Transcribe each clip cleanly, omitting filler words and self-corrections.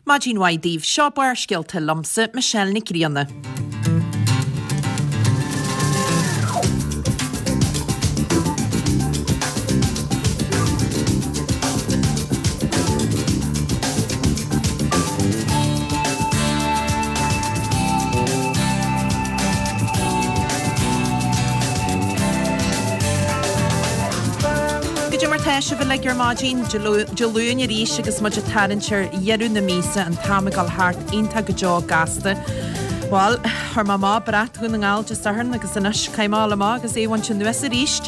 Maidin mhaith daoibh, seo Barrscéalta liomsa, Michelle Nic Grianna. Goidé mar tá sibh uilig ar maidin Dé Luain arís agus muid ag tarraingt ar dheireadh na míosa, an t-am ag dul thart iontach go deo gasta. Bhuel, chuir mé amach brat Dhún na nGall Dé Sathairn agus anois caithfidh mé a dhul amach agus é a bhaint anuas arís.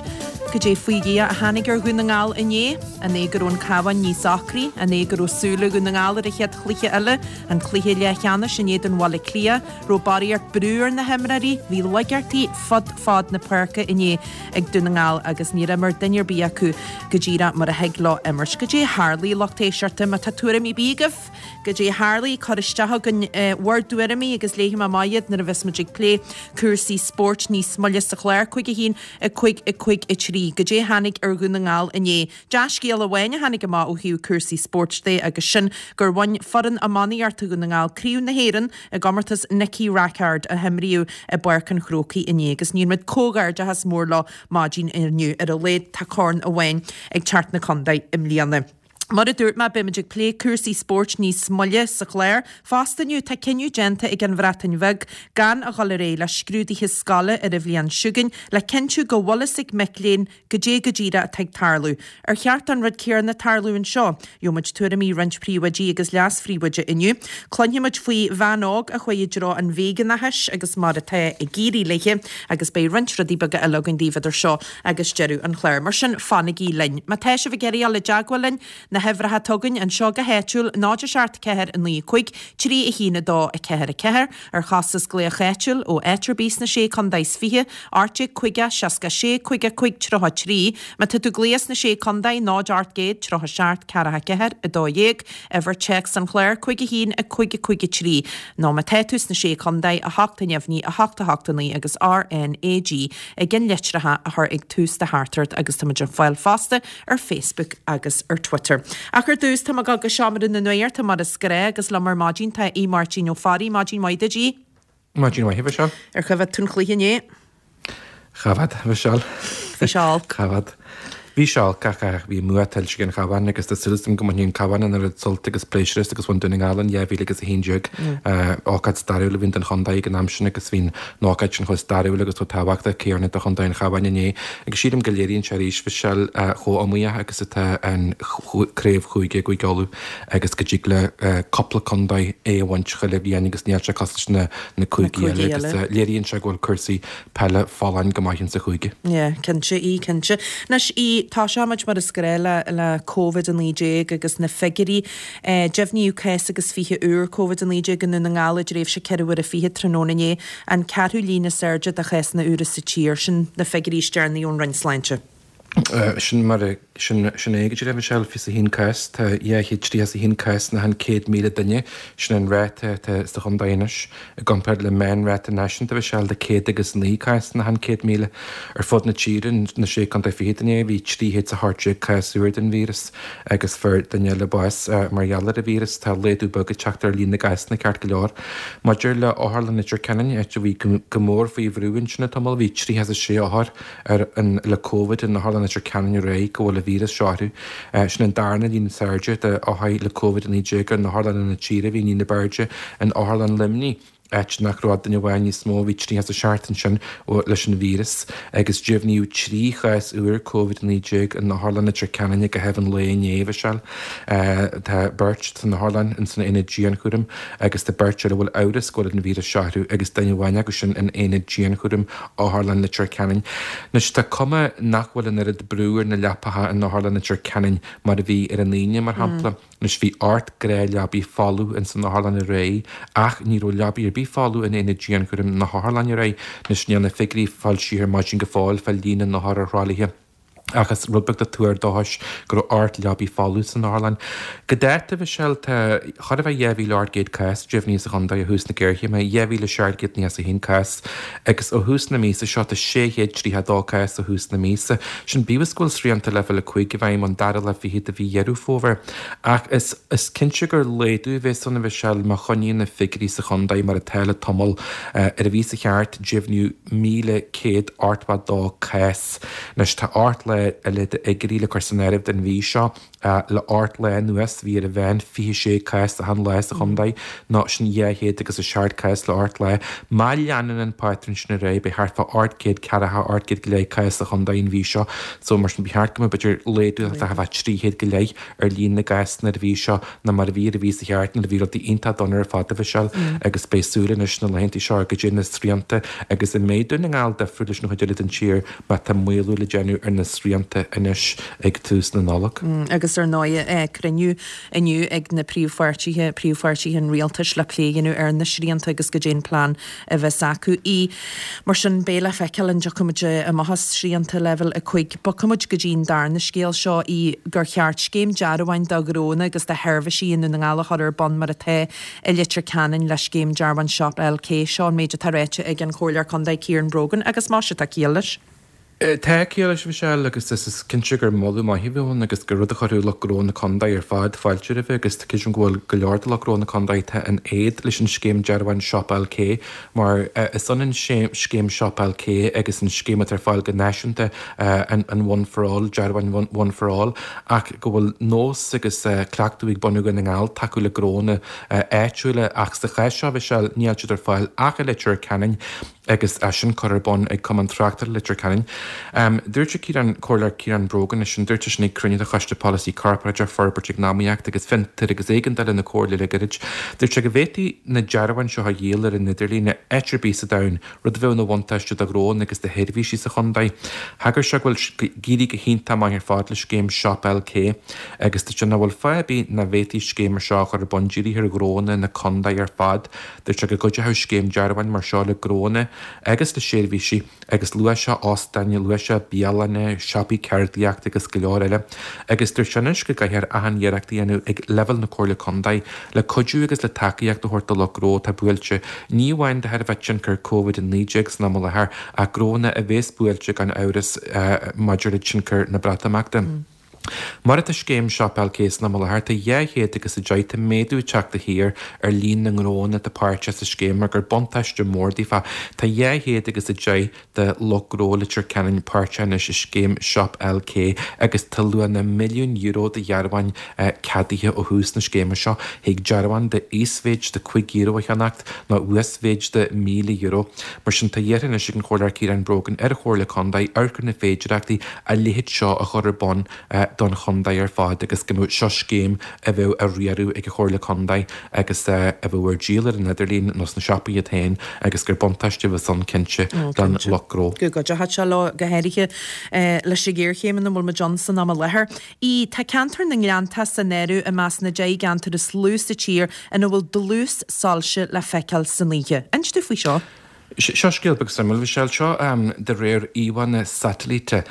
Goidé faoi Dhia a tháinig ar Dhún na nGall inné? An é go raibh an Cabhán níos ocraí? An é go raibh súile Dhún na nGall ar an chéad chluiche eile, an cluiche leathcheannais in éadan Bhaile Átha Cliath? Raibh barraíocht brú ar na himreoirí? Bhí laigeachtaí fud fad na páirce inné ag Dún na nGall agus níor imir duine ar bith acu go díreach mar a thig leo imirt. Goidé a tharlaigh, lucht éisteachta? Má tá tuairimí ar bith agaibh, goidé a tharlaigh, cuir isteach chugainn bhur dtuairimí agus léifidh mé amach iad nuair a bheas muid ag plé cúrsaí spóirt níos moille sa chlár. 5 1 5 5 3. Goidé a tháinig ar Dhún na nGall inné? Dea-scéal amháin a tháinig amach ó thaobh cúrsaí spóirt de agus sin gur bhain foireann iománaíochta Dhún na nGall Craobh na hÉireann i gcomórtas Nicky Rackard a himríodh i bPáirc an Chrócaigh inné agus níonn muid comhghairdeachas mór leo maidin inniu. Ar a laghad tá corn amháin ag teacht 'na contae i mbliana. Mar a dúirt mé, beimid ag plé cúrsaí spóirt níos moille sa chlár. Fosta inniu, tá cinneadh déanta ag an Bhreatain Bheag gan a dhul ar aghaidh le scrúduithe scoile ar an bhliain seo chugainn le cinntiú go bhfuil fhios ag mic léinn Goidé go díreach atá ag tarlú? Ar cheart don rud céanna tarlú anseo? Gheobhaimid tuairimí roinnt príomhoidí agus leas-phríomhoide inniu. Cluinfimid faoi bhean óg a chuaigh i dtreo an veigeánachais agus mar atá ag éirí léi agus beidh roinnt rudaí beaga eile againn daoibh idir seo agus deireadh an chláir. Mar sin, fanaigí linn. Má tá sibh ag iarraidh dul i dteagmháil linn, na huimhreacha atá againn anseo go háitiúil, 0 7 4 9 5 3 1 2 4 4, ar chostas glaoch áitiúil ó áit ar bith sna Sé Contae is 20, 18 50 66 55 33, má tá tú ag glaoch sna Sé Contae, 0 800 37 44 12, uimhir téacs an chláir, 5 1 5 5 3, nó má tá tú sna Sé Contae, 8 neamhní 8 8 9 agus RnaG i gceannlitreacha a chur ag tús do theachtaireacht agus tá muid ar fáil fosta ar Facebook agus ar Twitter. Ach ar dtús, tá mé ag dul go Seomra na Nuachta mar is gnáth agus liom ar maidin tá Aodh Máirtín Ó Fearraigh. Maidin mhaith duit, Aodh. Maidin mhaith, a Mhichelle. Ar choimhéad tú an cluiche inné? Choimhéad, a Mhichelle. Bhí sé olc. Choimhéad. Bhí sé olc ach bhí an bua tuillte ag an Chabhán agus tá súil agam go mbainfidh an Cabhán an oiread sult agus pléisiúr as agus bhain Dún na nGall in 2011. Ócáid stairiúil a bhí ann don chontae ag an am sin agus bhí an ócáid sin chomh stairiúil agus chomh tábhachtach céanna do chontae an Chabháin inné. Agus sílim go léiríonn sé arís, Mhichelle, chomh iomaíoch agus atá an craobh chúige i gCúige Uladh agus go dtig le cúpla contae é a bhaint chuile bhliain agus níl sé cosúil leis na cúigí eile agus léiríonn sé go bhfuil cúrsaí peile folláin go maith insa chúige. Yeah, cinnte, í, cinnte. Anois, í, toiseoimid mar is gnáth le, le Covid-19 agus na figiúirí. Deimhníodh cás agus 20 úr Covid-19 i nDún na nGall i dtréimhse 24 uaire tráthnóna inné, an ceathrú líon is airde de chásanna úra sa tír. Sin na figiúirí is deireanaí ón Roinn Sláinte. Sin mar a, sin, sin é go díreach, Michelle, 21 cás, tá 231 cás in achan 100,000 duine, sin an ráta atá sa chontae anois, i gcomparáid le meánráta náisiúnta, Michelle, de 109 cás in achan 100,000. Ar fud na tíre, na Sé Contae Fichead inné, bhí 318 cás úr den víreas. agus fuair duine eile bás mar gheall ar an víreas. Tá laghdú beag ag teacht ar líon na gcásanna ceart go leor. Maidir le Otharlann Leitir Ceanainn, áit a bhí go mór faoi bhrú ansin le tamall, bhí 36 othar ar an le Covid in Otharlann Leitir Ceanainn aréir go bhfuil an víreas seo orthu. Sin an darna líon is airde de othair le Covid-19 in otharlanna na tíre. Bhí an líon ab airde in Otharlann Luimnigh. áit nach raibh ach duine amháin níos mó, bhí 37 ansin leis an víreas agus deimhníodh 3 chás úr Covid-19 in Otharlann Leitir Ceanainn i gcaitheamh an lae inné, Mhichelle. Tá beirt san otharlann in san aonad dianchúraim agus tá beirt eile a bhfuil amhras go bhfuil an víreas seo orthu agus duine amháin acu sin in aonad dianchúraim Otharlann Leitir Ceanainn. Anois tá cuma nach bhfuil an oiread brú ar na leapacha in Otharlann Leitir Ceanainn mar a bhí ar an Aoine, mar shampla. Anois bhí 8 gnáthleabaí folamh ins an otharlann aréir ach ní raibh leabaí ar bith folamh in aonad dianchúraim na hotharlainne aréir. Anois níl na figiúirí foilsithe ar maidin go fóill fá líon na n-othar ar thralaithe. Ach is rud beag de tuar dóchais go raibh 8 leabaí folamh san otharlann. Go dáta, a Mhichelle, tá chóir a bheith 2,800 cás deimhnithe sa chontae ó thús na géarchéime, 2,791 cás, agus ó thús na míosa seo tá 632 cás ó thús na míosa. Sin bíodh is go bhfuil srianta leibhéal 5 i bhfeidhm ón dara lá fichead de mhí Dheireadh Fómhair. Ach is is cinnte gur laghdú a bheas ann, a Mhichelle, má choinníonn na figiúirí sa chontae mar atá le tamall. Ar an mhí seo thart, deimhníodh 1,182 cás. Anois tá 8 lá eile d'fhigiúirí le cur san áireamh don mhí seo. Le 8 lá anuas bhí ar an mheán 26 cás achan lá sa chontae, nó sin 200 agus 7 cás le 8 lá. Má leanann an pátrún sin ar aghaidh beidh thart fá 840, 800 go leith cás sa chontae an mhí seo. So mar sin ba cheart go mbeadh b'fhéidir laghdú thart fá 300 go leith ar líon na gcásanna ar an mhí seo ná mar a bhí ar an mhí seo thart nuair a bhí rudaí iontach dona ar fad, a Mhichelle, agus beidh súil anois sna laethanta seo go dté na srianta agus an mbeidh Dún na nGall difriúil leis an chuid eile den tír má tá maolú le déanamh ar na srianta anois ag tús na Nollag. Agus ar ndóigh cruinniú inniu ag na príomhpháirtithe, príomhpháirtithe an rialtais le plé a dhéanamh ar na srianta agus goidé an plean a bheas acu. Í. Mar sin, beidh le feiceáil an dtiocfaidh muid amach as srianta leibhéal 5. Bogfaidh muid go dtí an darna scéal seo, í, gur cheart scéim dearbháin do ghnónna agus do sheirbhísí i nDún na nGall a chur ar bun mar atá i Leitir Ceanainn le scéim dearbháin Shop LK. Seo an méid atá ráite ag an Chomhairleoir Contae Ciaran Brogan agus más ea tá ciall leis. Tá ciall leis, a Mhichelle, agus is cinnte gur moladh maith a bheadh ann agus gur rud a chuirfeadh lucht gnó na contae ar fad fáilte roimhe agus creidim go bhfuil go leor de lucht gnó na contae atá in éad leis an scéim dearbháin Shop LK mar is ionann scéim Shop LK agus an scéim atá ar fáil go náisiúnta, an One for All, dearbháin One for All, ach go bhfuil nós agus cleachtadh ag bunú Dhún na nGall tacú le gnónna áitiúla ach sa chás seo, a Mhichelle, níl siad ar fáil ach i Leitir Ceanainn. agus é sin curtha ar bun ag Cumann Tráchtála Leitir Ceanainn. Dúirt sé Ciarán, Comhairleoir Ciarán Brogan, é sin, dúirt sé sin ag cruinniú de Choiste Polasaí Corparáideach, Forbairt Eacnamaíochta agus Fiontair agus Éigeandála na Comhairle le gairid. Dúirt sé go bhféadfaí na dearbháin seo a dhíol ar an idirlíon áit ar bith sa domhan, rud a bheadh ina bhuntáiste do ghnónna agus do sheirbhísí sa chontae. Thagair sé go bhfuil ag éirí go hiontach maith ar fad le scéim Shop LK agus dúirt sé nach bhfuil fáth ar bith nach bhféadfaí scéim mar seo a chur ar bun dírithe ar ghnónna na contae ar fad. Dúirt sé go gcuideochadh scéim dearbháin mar seo le gnónna agus le seirbhísí agus luaigh sé óstáin, luaigh sé bialanna, siopaí ceardaíochta agus go leor eile. Agus dúirt sé anois go gcaithfear achan iarracht a dhéanamh ag leibhéal na Comhairle Contae le cuidiú agus le tacaíocht a thabhairt do lucht gnó atá buailte, ní amháin de thairbhe tionchar Covid-19 san am i láthair ach gnónna a bhéas buailte gan amhras maidir le tionchar na Breatimeachta. Mar atá scéim Shop LK san am i láthair, tá 200 agus 10, tá méadú ag teacht de shíor ar líon na ngnóanna atá páirteach sa scéim mar gur buntáiste mór daofa. Tá 200 agus 10 de lucht gnó Leitir Ceanainn páirteach anois i scéim Shop LK agus tá luach na milliún euro de dhearbháin ceadaithe ó thús na scéime seo. Thig dearbhán de íosmhéid de €5 a cheannacht nó uasmhéid de €1,000. Mar sin tá iarrtha anois ag an Chomhairleoir Ciarán Brogan ar an Chomhairle Contae amharc ar na féidireachtaí a leithéid seo a chur ar bun don chontae ar fad agus go mbeadh seo scéim a bheadh á riaradh ag an Chomhairle Contae agus a bheadh ar díol ar an idirlíon nó sna siopaí iad féin agus gur buntáiste a bheas ann cinnte don lucht gnó. Go gcuideochadh sé leo go háirithe leis an ghéarchéim ina bhfuil muid ann san am i láthair. ii, Tá ceantar na nGleanntach san áireamh i measc na 10 gceantar is lú sa tír ina bhfuil dlús soilse le feiceáil san oíche. Inis dúinn faoi seo. Seo scéal beag suimiúil, Michelle. Seo de réir íomhánna satailíte,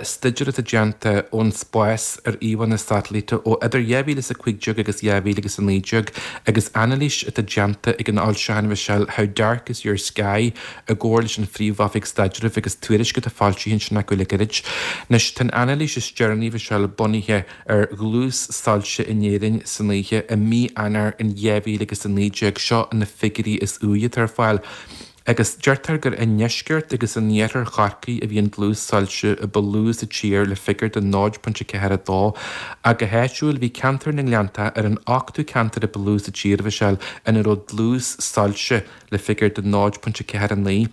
staidéar atá déanta ón spás ar íomhánna satailíte ó idir 2015 agus 2019 agus anailís atá déanta ag an fhoilseachán, Michelle, How Dark is Your Sky? i gcomhar leis an Phríomh-Oifig Staidrimh agus tuairisc atá foilsithe ansin acu le gairid. Anois, tá an anailís is deireanaí, Michelle, bunaithe ar dhlús soilse in Éirinn san oíche i mí Eanáir in 2019. Seo na figiúirí is úire atá ar fáil. Agus deirtear gur i ndeisceart agus in iarthar Chorcaí a bhí an dlús soilse a ba lú sa tír le figiúr de 0.42. Ach go háitiúil bhí ceantar na nGleanntach ar an ochtú ceantar a ba lú sa tír, a Mhichelle, ina raibh dlús soilse le figiúr de 0.49.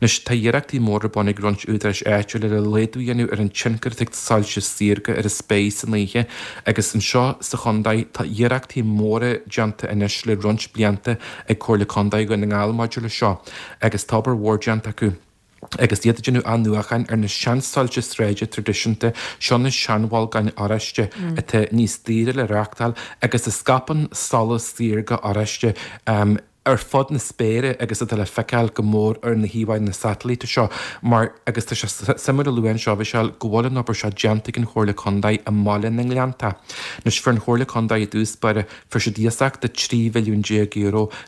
Anois, tá iarrachtaí móra ar bun ag roinnt údaráis áitiúla le laghdú a dhéanamh ar an tionchar atá ag soilse saorga ar an spéir san oíche agus anseo sa chontae tá iarrachtaí móra déanta anois le roinnt blianta ag Comhairle Contae Dhún na nGall maidir le seo agus tá obair mhór déanta acu agus iad ag déanamh athnuachan ar na seansoilse sráide traidisiúnta, seo na seanbholgáin oráiste atá níos daoire le reachtáil agus a scaipeann solas saorga oráiste. Ar fud na spéire agus atá le feiceáil go mór ar na híomhánna satailíte seo mar, agus tá sé suimiúil a lua anseo, a Mhichelle, go bhfuil an obair seo déanta ag an Chomhairle Contae i mBaile na nGleanntach. Anois, fuair an Chomhairle Contae i dtús báire, fuair siad iasacht de €13 mhilliún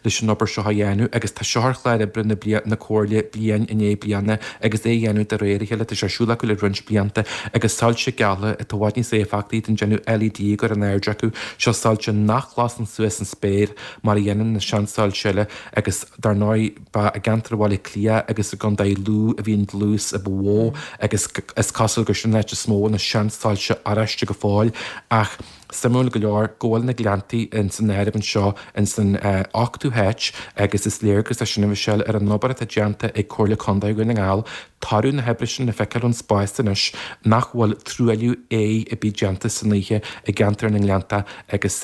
leis an obair seo a dhéanamh agus tá seo ar chlár oibre na na Comhairle bliain i ndiaidh bliana agus é a dhéanamh de réir a chéile, tá sé ar siúl acu le roinnt blianta agus soilse geala atá i bhfad níos éifeachtaí don déanamh LED a gcur in airde acu, seo soilse nach lasann suas an spéir. mar a dhéanann na seansoilse eile agus dar ndóigh ba i gceantar Bhaile Átha Cliath agus i gContae Lú a bhí an dlús a ba mhó agus is cosúil gur sin an áit is mó na seansoilse oráiste go fóill ach suimiúil go leor go bhfuil na Gleanntaí ins an áireamh anseo ins an ochtú háit agus is léargas é sin a Mhichelle ar an obair atá déanta ag Comhairle Contae Dhún na nGall Toradh na hoibre sin le feiceáil ón spás anois nach bhfuil truailliú aeir ar bith déanta san oíche i gceantar na nGleanntach agus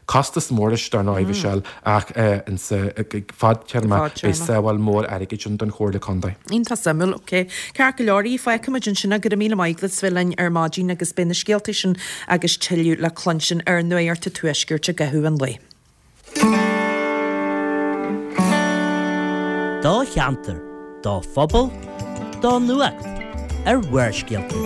costas mór leis dar ndóigh, Michelle, ach insa fadtéarma beidh sábháil mór airgid ann don Chomhairle Contae. Iontach suimiúil, ok. Ceart go leor, fágfaimid ansin é. Go raibh míle maith agat as bheith linn ar maidin agus beidh na scéalta sin agus tuilleadh le cluinstin ar Nuacht an Tuaiscirt i gcaitheamh an lae. Do cheantar, do phobal, do nuacht ar Bharrscéalta.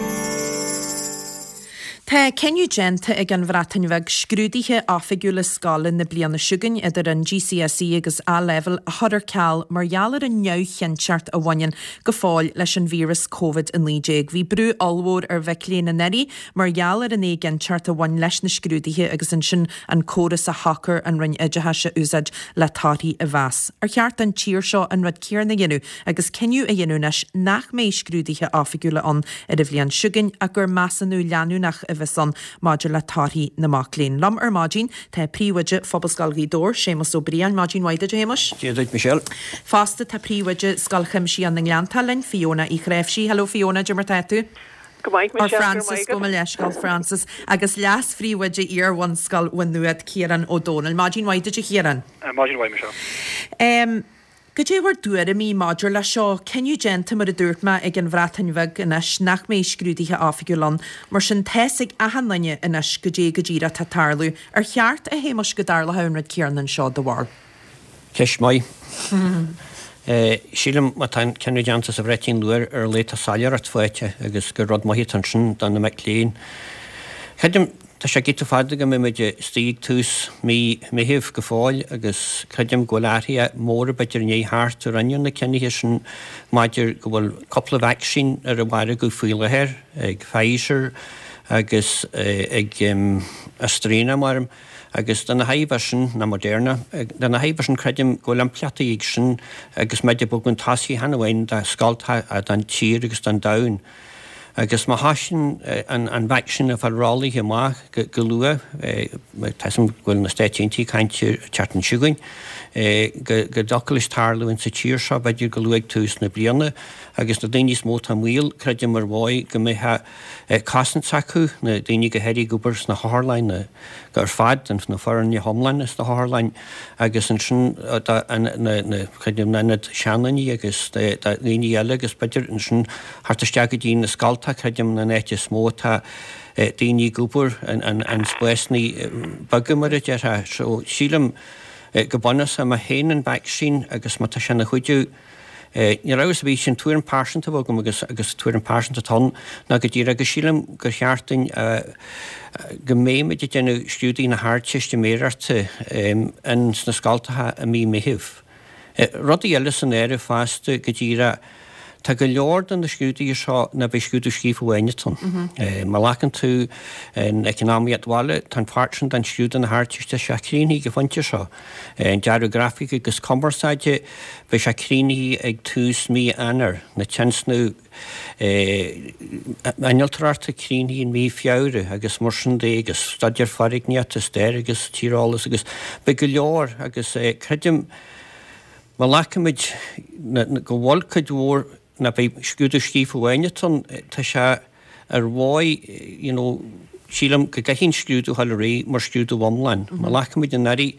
Tá cinneadh déanta ag an Bhreatain Bheag scrúduithe oifigiúla scoile na bliana seo chugainn, idir an GCSE agus A-Leibhéal, a chur ar ceal mar gheall ar an neamhchinnteacht a bhaineann go fóill leis an víreas Covid-19. Bhí brú ollmhór ar mhic léinn anuraidh mar gheall ar an éiginnteacht a bhain leis na scrúduithe agus ansin an córas a shocair an Roinn Oideachais a úsáid le torthaí a mheas. Ar cheart don tír seo an rud céanna a dhéanamh agus cinneadh a dhéanamh anois nach mbeidh scrúduithe oifigiúla ann ar an bhliain seo chugainn ach gur measúnú leanúnach a bheas ann maidir le torthaí na mac léinn? Liom ar maidin tá Príomhoide Phobalscoil Ghaoth Dobhair, Séamus Ó Briain. Maidin mhaith duit, a Shéamuis. Dia duit, Michelle. Fosta tá Príomhoide Scoil Chuimsitheach na nGleanntach linn, Fiona Uí Chnáimhsí. Hello Fiona, cad é mar tá tú? Go maith, Michelle, go raibh maith agat. Gabh mo leithscéal, Frances, agus Leas-Phríomhoide Iar-Bhunscoil Mhaigh Nuad, Ciarán Ó Domhnaill. Maidin mhaith duit, a Chiaráin. Maidin mhaith, Michelle. Cad é bhur dtuairimí maidir leis seo? Cinneadh déanta, mar a dúirt mé, ag an Bhreatain Bheag anois nach mbeidh scrúduithe oifigiúla ann. Mar sin, tá's ag achan duine anois goidé go díreach atá ag tarlú. Ar cheart, a Shéamuis, go dtarlódh an rud céanna anseo, do bharúil? Ceist maith. Sílim má tá an cinneadh déanta sa Bhreatain luath ar a laghad tá soiléireacht faighte agus gur rud maith atá ansin do na mic léinn. Creidim, tá sé giota fada go mbeidh muid istigh ag tús mí Meithimh go fóill agus creidim go bhfuil athruithe móra b'fhéidir i ndiaidh theacht ó rinneadh na cinnithe sin maidir go bhfuil cúpla vacsaín ar an mhargadh faoi láthair ag Pfizer agus ag AstraZeneca maram. Agus do na tairbhe sin, ná Moderna, do na tairbhe sin creidim go bhfuil impleachtaí ag sin agus muid ag bogadh chun tosaigh chan amháin do scoltacha don tír agus don domhan. Agus má thosaíonn an vacsaín ag fáil rollaithe amach go luath, tá 'fhios a'm go bhfuil na Stáit Aontaithe ag caint ar an tseachtain seo chugainn, go dtiocfadh leis tarlú insa tír seo b'fhéidir go luath ag tús na bliana agus na daoine is mó atá i mbaol, creidim ar mhaith go mbeadh cosaint s'acu, na daoine go háirithe ag obair sna hotharlanna ar fad, na foirne iomlána sna hotharlanna agus ansin na, creidim, na hionaid seandaoine agus daoine eile agus b'fhéidir ansin thart isteach go dtí na scoltacha, creidim, an áit is mó atá daoine ag obair, an spásanna beaga mar a déarfá. So sílim go bunúsach má théann an vacsaín agus má tá sé ina chuidiú, Níl amhras ar bith, sin tuairim pearsanta a bheadh agam agus agus tuairim pearsanta atá ann ná go díreach go sílim gur cheart dúinn go mbeidh muid ag déanamh scrúduithe na hArdteistiméireachta in sna scoltacha i mí Meithimh. Rudaí eile san áireamh fosta go díreach tá go leor de na scrúduithe seo ná beidh scrúdú scríofa amháin atá ann. Má ghlacann tú an Eacnamaíocht Bhaile tá an pháirt sin den scrúdú na hArdteiste tá sé críochnaithe ag an phointe seo. An Dearadh Grafaice agus Cumarsáide, beidh sé críochnaithe ag tús mí Eanáir, na tionscnaimh innealtóireachta críochnaithe in mí Feabhra agus mar sin de agus staidéar foirgníochta, stair agus tíreolas agus beidh go leor agus creidim má ghlacaimid go bhfuil cuid mhór ná beidh scrúdú scríofa amháin atá ann, tá sé ar mhaith, you know, sílim go gcaithfidh an scrúdú a dhul ar aghaidh mar scrúdú iomlán. Má ghlacaimid anuraidh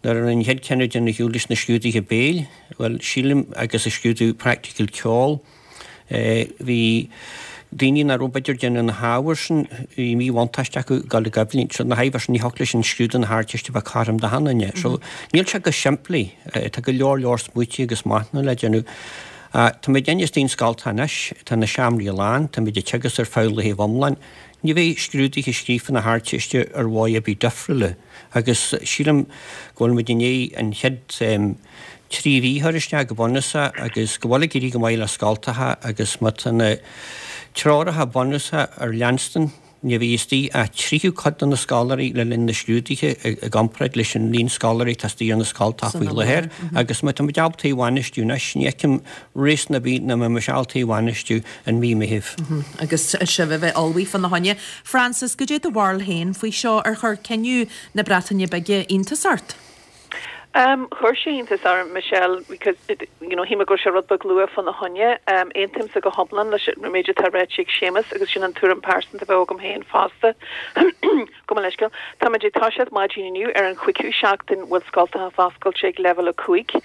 nuair a rinne an chéad cinneadh déanamh ar shiúl leis na scrúduithe béil, bhuel, sílim, agus an scrúdú praiticiúil ceoil, eh, bhí. Daoine nach raibh b'fhéidir ag déanamh na hábhair sin, bhí míbhuntáiste acu ag dul i gcoimhlint. So na hábhair sin ní thiocfadh leis an scrúdú na hArdteiste a bheith cothrom d'achan duine. So níl sé go simplí. Tá go leor leor smaoití agus machnamh le déanamh. Táimid istigh sna scoltacha anois, tá na seomraí lán, táimid ag teagasc ar feadh laethibh iomlán. Ní bheidh scrúduithe scríofa na hArdteiste ar mhodh ar bith difriúla agus sílim go bhfuil muid i ndiaidh an chéad 3 mhí a chur isteach go bunúsach agus go bhfuil ag éirí go maith le scoltacha agus má tá na treoracha bunúsacha ar leanstan ní bheidh istigh ach tríú cuid de na scoláirí le linn na scrúduithe i gcomparáid leis an líon scoláirí atá istigh ar na scoltacha faoi láthair agus má tá muid ábalta é a bhainistiú anois ní fheicim réasún ar bith nach mbeimis ábalta é a bhainistiú in mí Meithimh. Agus sibh a bheith ullmhaithe fána choinne. Frances, goidé do bharúil féin faoi seo? Ar chuir cinneadh na Breataine Bige iontas ort? Chuir sé iontas orm, Michelle, because, you know, shíl mé go raibh sé rud beag luath fána choinne. Aontaímse go hiomlán leis an méid atá ráite ag Séamus agus sin an tuairim pearsanta a bheadh agam féin fosta. Gabh mo leithscéal. Táimid ag toiseacht maidin inniu ar an chúigiú seachtain bhfuil scoltacha foscailte ag leibhéal 5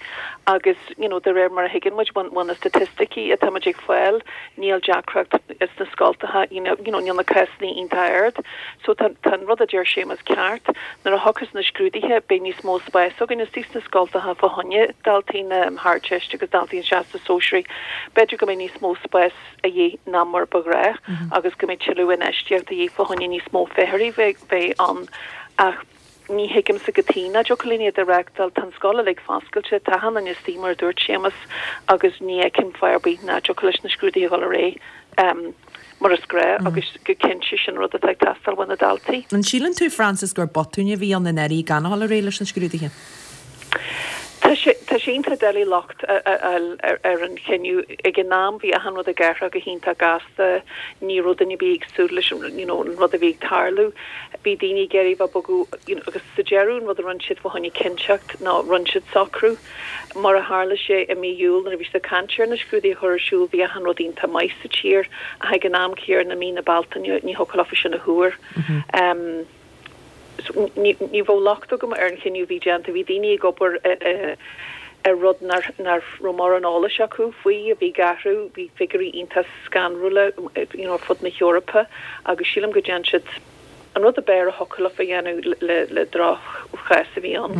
agus, you know, de réir mar a thuigeann muid ó na staitisticí atá muid ag fáil, níl deacracht sna scoltacha, you know, níl na cásanna iontach ard. So tá an rud a deir Séamus ceart. Nuair a thiocfas na scrúduithe beidh níos mó spáis againn istigh sna scoltacha fá choinne daltaí na hArdteiste agus daltaí an Teastas Sóisearaigh. B'fhéidir go mbeidh níos mó spáis a dhíth ná mar ba ghnách agus go mbeidh tuilleadh infheistíocht a dhíth fá choinne níos mó feithimh bheith ann ach ní thuigimse cad chuige nach dtiocfadh linn iad a reáchtáil. Tá an scoil uilig foscailte, tá achan duine istigh mar a dúirt Séamus agus ní fheicim fáth ar bith nach dtiocfadh leis na scrúduithe a dhul ar aghaidh. mar is gnách agus go cinnte sin rud atá ag teastáil ó na daltaí. An síleann tú, Frances, gur botún a bhí ann i ndáiríre gan a dhul ar aghaidh leis na scrúduithe? Tá sé, tá sé iontach doiligh locht a fháil ar an chinneadh. Ag an am bhí achan rud ag athrú go hiontach gasta, ní raibh duine ar bith ag súil leis an, you know, an rud a bhí ag tarlú. Bhí daoine ag iarraidh bheith bogadh, you know, agus sa deireadh an rud a rinne siad fá choinne cinnteacht ná rinne siad socrú. Mar a tharla sé i mí Iúil nuair a bhí siad ag caint ar na scrúduithe a chur ar siúl bhí achan rud iontach maith sa tír ach ag an am céanna i mí na Bealtaine ní thiocfadh leofa sin a thuar. Ní bheadh locht agam ar an chinneadh a bhí déanta. Bhí daoine ag obair ar rud nach raibh mórán eolais acu faoi a bhí ag athrú. Bhí figiúirí iontach scanrúla you know ar fud na hEorpa agus sílim go dtearn siad an rud ab fhearr a thiocfadh leofa a dhéanamh le droch-chás a bhí ann.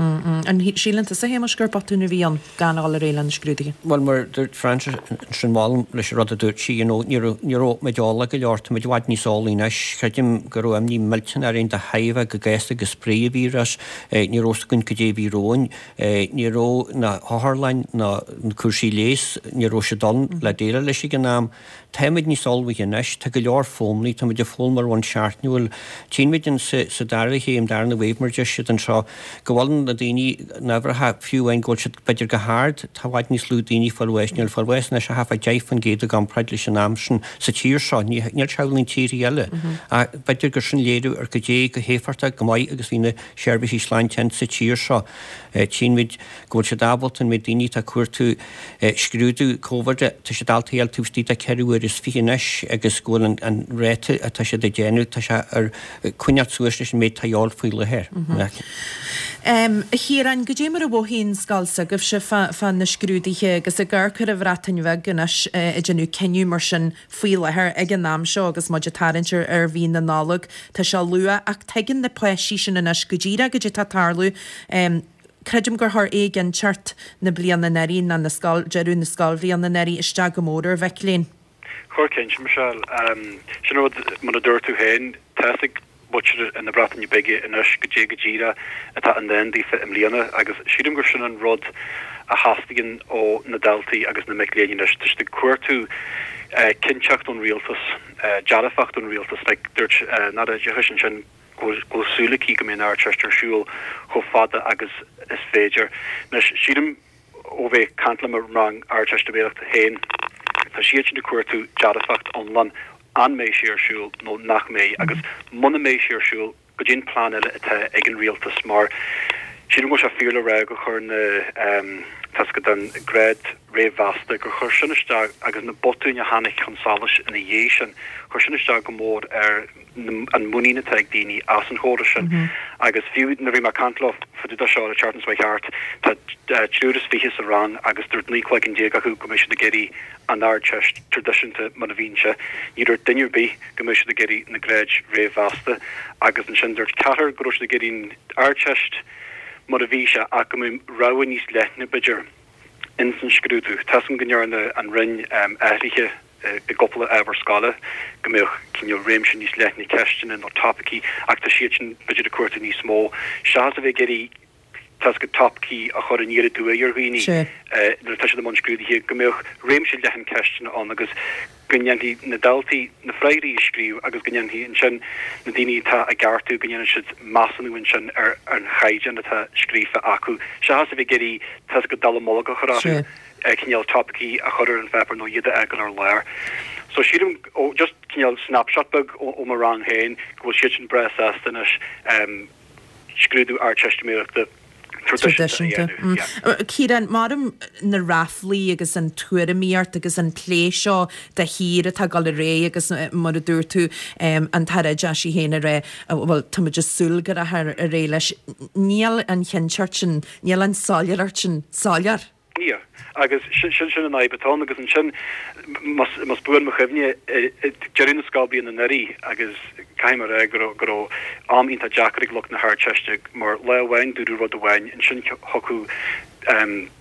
An síleann tusa, a Shéamais, gur botún a bhí ann gan a dhul ar aghaidh le na scrúduithe? Bhuel, mar a dúirt Frances ansin, molaim leis an rud a dúirt sí, you know, ní raibh, ní raibh muid eolach go leor, tá muid i bhfad níos eolaí anois. Creidim go raibh imní millteanach orainn de thairbhe go gasta go spraoi an víreas, ní raibh fhios againn cad é a bhí romhainn, ní raibh na hotharlanna ná na cúrsaí leighis, ní raibh siad ann le déileáil leis ag an am. Táimid níos ullmhaithe anois, tá go leor foghlamtha, táimid ag foghlaim ar bhonn seachtainiúil. Tchíonn muid in sa dara chéim, darna wave mar a deir siad anseo, go bhfuil na daoine na huimhreacha, fiú amháin go bhfuil siad b'fhéidir go hard, tá i bhfad níos lú daoine ag fáil bháis, níl fáil bháis anois ach thart fá 10% i gcomparáid leis an am sin sa tír seo, níl sé amhlaidh in tíortha eile. Ach b'fhéidir gur sin léiriú ar goidé go héifeachtach, go maith agus bhí na seirbhísí sláinte in sa tír seo. Tchíonn muid go bhfuil siad ábalta an méid daoine atá ag cuartú scrúdú Covid, tá siad ábalta a fháil taobh istigh de 24 uair anois agus go bhfuil an ráta atá siad ag déanamh, tá sé ar coinneáil suas leis an méid atá a dhíobháil faoi láthair. A Chiaráin, goidé mar a mhothaíonn scoil s'agaibhse fá na scrúduithe agus ag amharc ar an Bhreatain Bheag anois ag déanamh cinneadh mar sin faoi láthair ag an am seo agus muid ag tarraingt ar mhí na Nollag, tá sé luath ach tuigeann na páistí sin anois go díreach goidé atá ag tarlú. Creidim gur chuir éiginnteacht na bliana anuraidh, nó na scoil, deireadh na scoilbhliana anuraidh, isteach go mór ar mhic léinn. Chuir cinnte, Michelle. Sin an rud, mar a dúirt tú féin, tá fhios ag muintir na Breataine Bige anois goidé go díreach atá i ndán daofa i mbliana agus sílim gur sin an rud a theastaíonn ó na daltaí agus na mic léinn anois. Tá siad ag cuartú cinnteacht ón rialtas, dearfacht ón rialtas. Like, dúirt an Aire Oideachais ansin, go bhfuil súil aici go mbeidh an Ardteist ar siúl chomh fada agus is féidir. Anois, sílim, ó bheith ag caint le mo rang Ardteistiméireachta féin, tá siadsan ag cuartú dearfacht iomlán, an mbeidh sé ar siúl nó nach mbeidh, agus muna mbeidh sé ar siúl, goidé an plean eile atá ag an rialtas, mar. Sílim go bhfuil sé fíor le rá gur chuir na, tá a fhios agat, an grád réamh-mheasta, gur chuir sin isteach agus na botúin a tháinig chun solais ina dhiaidh sin, chuir sin isteach go mór ar an muinín atá ag daoine as an chóras sin. Agus fiú nuair a bhí mé ag caint leo fá dtaobh de seo an tseachtain seo chuaigh thart, tá triúr is fiche sa rang agus dúirt 19 cloigeann acu go mbeidh siad ag iarraidh an Ardteist traidisiúnta mar a bhíonn sé. Ní dúirt duine ar bith go mbeadh siad ag iarraidh na gráid réamh-mheasta agus ansin dúirt ceathrar go raibh siad ag iarraidh an Ardteist mar a bhí sé ach go mbeadh rogha níos leithne, b'fhéidir, ins an scrúdú. Tá 'fhios agam go ndearna an Roinn athruithe i gcúpla ábhar scoile, go mbeadh cineál réimse níos leithne ceisteanna nó topaicí ach tá siad sin b'fhéidir ag cuartú níos mó seachas a bheith ag iarraidh tá 'fhios agat topaicí a chur aniar aduaidh ar dhaoine nuair atá siad i mbun scrúdaithe, go mbeadh réimse leathan ceisteanna ann agus go ndéanfaidh na daltaí na freagraí a scríobh agus go ndéanfaidh ansin na daoine atá á gceartú, go ndéanfaidh siad measúnú ansin ar an chaighdeán atá scríofa acu, seachas a bheith ag iarraidh tá 'fhios agat dallamullóg a chur orthu, cineál topaicí a chur ar an pháipéar nó iad a fhágáil ar lár. So sílim, ó just cineál snapshot beag ó mo rang féin, go bhfuil siad sin breá sásta anois. scrúdú Ardteistiméireachta traidisiúnta a dhéanamh. Yeah. Ciarán, maram na ráflaí agus an tuairimíocht agus an plé seo de shíor atá ag dul ar aghaidh agus mar a dúirt tú, an tAire Oideachais í féin ag rá, bhuel, tá muid ag súil go rachfar ar aghaidh leis. Níl an chinnteacht sin, níl an soiléireacht sin soiléir. Níl. Agus sin sin an fhadhb atá ann. Agus ansin, más buan mo chuimhne, ag deireadh na scoilbhliana anuraidh, agus caithfidh mé a rá go raibh go raibh am iontach deacair ag lucht na hArdteiste, mar lá amháin dúradh rud amháin, ansin thiocfadh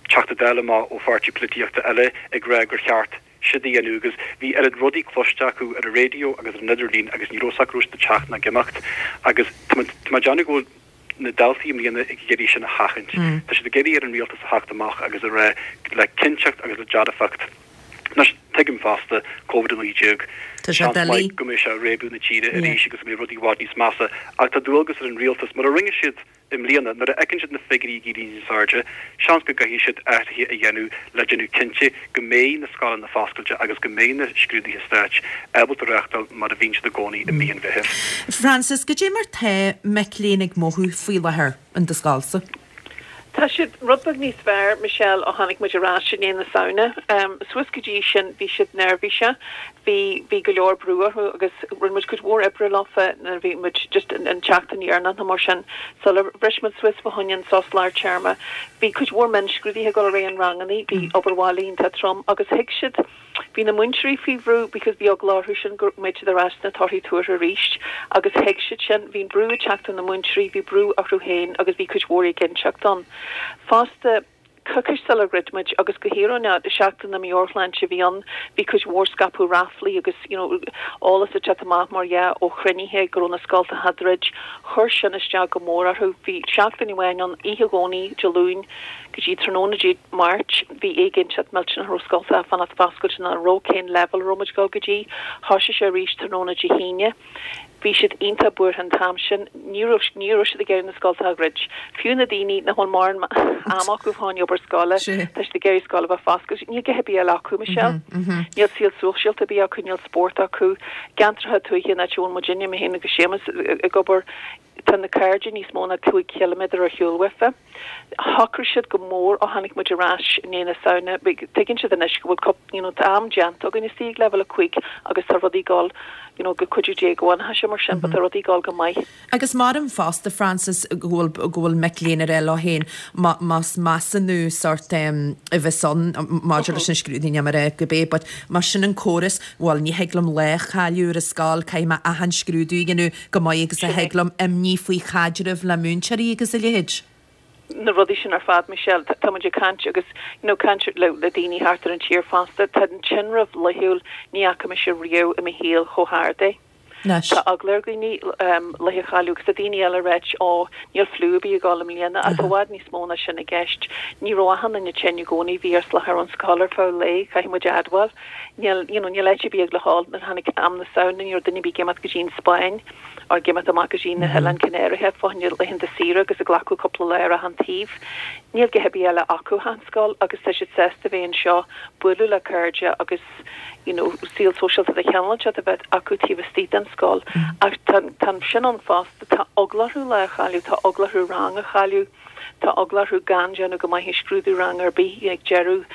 Teachta Dála amach ó pháirtí polaitíochta eile ag rá gur cheart siúd a dhéanamh agus bhí oiread rudaí cloiste acu ar an raidió agus ar an idirlíon agus ní raibh 's acu raibh siad ag teacht ná ag imeacht agus tá mé ag déanamh go bhfuil na daltaí i mbliana ag iarraidh sin a sheachaint. Tá siad ag iarraidh ar an rialtas a theacht amach agus a rá le cinnteacht agus le dearfacht. Anois, tuigim fosta, Covid-19, Tá sé seans maith doiligh. go mbeidh sé ag réabadh na tíre arís agus go mbeidh rudaí i bhfad níos measa, ach tá dualgas ar an rialtas, mar a rinne siad i mbliana, nuair a fheiceann siad na figiúirí ag éirí níos airde, seans go gcaithfidh siad athruithe a dhéanamh le déanamh cinnte go mbeidh na scoileanna foscailte agus go mbeidh na scrúduithe stáit ábalta reáchtáil mar a bhíonn siad i gcónaí i mí an Mheithimh. Frances, Goidé mar tá mic léinn ag mothú faoi láthair in do scoilsa? Tá siad rud beag níos fearr, Michelle, ó tháinig muid ar ais i ndiaidh na Samhna. Suas go dtí sin bhí siad neirbhíseach, bhí, bhí go leor brú orthu agus rinne muid cuid mhór oibre leofa nuair a bhí muid just an tseachtain dheireanach nó mar sin sular bhris muid suas fá choinne an sos lár téarma. Bhí cuid mhór mionscrúduithe ag dul ar aghaidh in rangannaí, bhí obair bhaile iontach trom agus thuig siad, bhí na múinteoirí faoi bhrú because bhí eagla orthu sin go mbeadh siad ar ais sna torthaí tuartha arís agus thuig siad sin, bhí an brú ag teacht ó na múinteoirí, bhí brú orthu féin agus bhí cuid mhór éiginnteacht ann. Fosta, coicís sular dhruid muid agus go híoróineach, seachtain na meabhairshláinte a bhí ann, bhí cuid mhór scaipeadh ráflaí agus you know eolas ag teacht amach mar dhea ó chruinnithe go raibh na scoltacha á druid. Chuir sin isteach go mór orthu. Bhí seachtain amháin ann, oíche Dhomhnaigh, Dé Luain go dtí tráthnóna Dé Máirt, bhí éiginnteacht millteanach an raibh scoltacha ag fanacht foscailte nó an raibh cén leibhéal a raibh muid ag dul go dtí. Thoisigh sé arís tráthnóna Dé hAoine. Bhí siad iontach buartha an t-am sin. Ní raibh, ní raibh siad ag iarraidh na scoltacha a dhruid. Fiú na daoine nach bhfuil mórán ama acu fá choinne obair scoile, tá siad ag iarraidh scoil a bheith foscailte. Níl a dhath ar bith eile acu, Michelle. Níl saol sóisialta ar bith acu, níl spórt acu. gceantracha tuaithe an áit a bhfuil muidinne, mé féin agus Séamus, ag obair, tá na cairde níos mó ná 5 chiliméadar ar shiúl uafa. Shocraigh siad go mór ó tháinig muid ar ais i ndiaidh na Samhna, tuigeann siad anois go bhfuil cúpla, you know, tá am déanta againn istigh ag leibhéal 5 agus tá rudaí ag dul, you know, go cuidiú Dé go bhfanfaidh sé mar sin, but tá rudaí ag dul go maith. Agus maram fosta, Frances, go bhfuil, go bhfuil mic léinn ag rá leo féin má, más measúnú sórt a bheas ann maidir leis na scrúduithe, níl mé ag rá gurb é, but más sin an córas, bhuel, ní thig liom lá a chailleadh ar an scoil, caithfidh mé achan scrúdú a dhéanamh go maith agus a Sin é. thig liom, imní faoi chaidreamh le múinteoirí agus a leithéid. na rudaí sin ar fad, Michelle, tá muid ag caint agus, you know, caint le, le daoine thart ar an tír fosta, tá an tinreamh laethúil, ní fhaca mise riamh i mo shaol chomh hard é. Anois. Tá eagla ar dhaoine laethe a chailleadh agus tá daoine eile ag ráit ó níl fliú ar bith ag dul i mbliana ach tá i bhfad níos mó ná sin i gceist. Ní raibh achan duine tinn i gcónaí, bhí ar salachar ón scoil ar feadh lae, caithfidh muid a admháil. Níl, you know, níl áit ar bith ag le dhul. Nuair a tháinig am na Samhna ní raibh duine ar bith ag imeacht go dtí an Spáinn or ag imeacht amach go dtí na hOileáin Chanáracha fá choinne laethanta saoire agus ag glacadh cúpla lá ar achan taobh. Níl a dhath ar bith eile acu ach an scoil agus tá siad sásta bheith anseo, bualadh le cairde agus you know saol sóisialta de chineál inteacht a bheith acu taobh istigh den scoil. Ach tá tá sin ann fosta, tá eagla orthu lá a chailleadh, tá eagla orthu rang a chailleadh, tá eagla orthu gan déanamh go maith i scrúdú ranga ar bith ag deireadh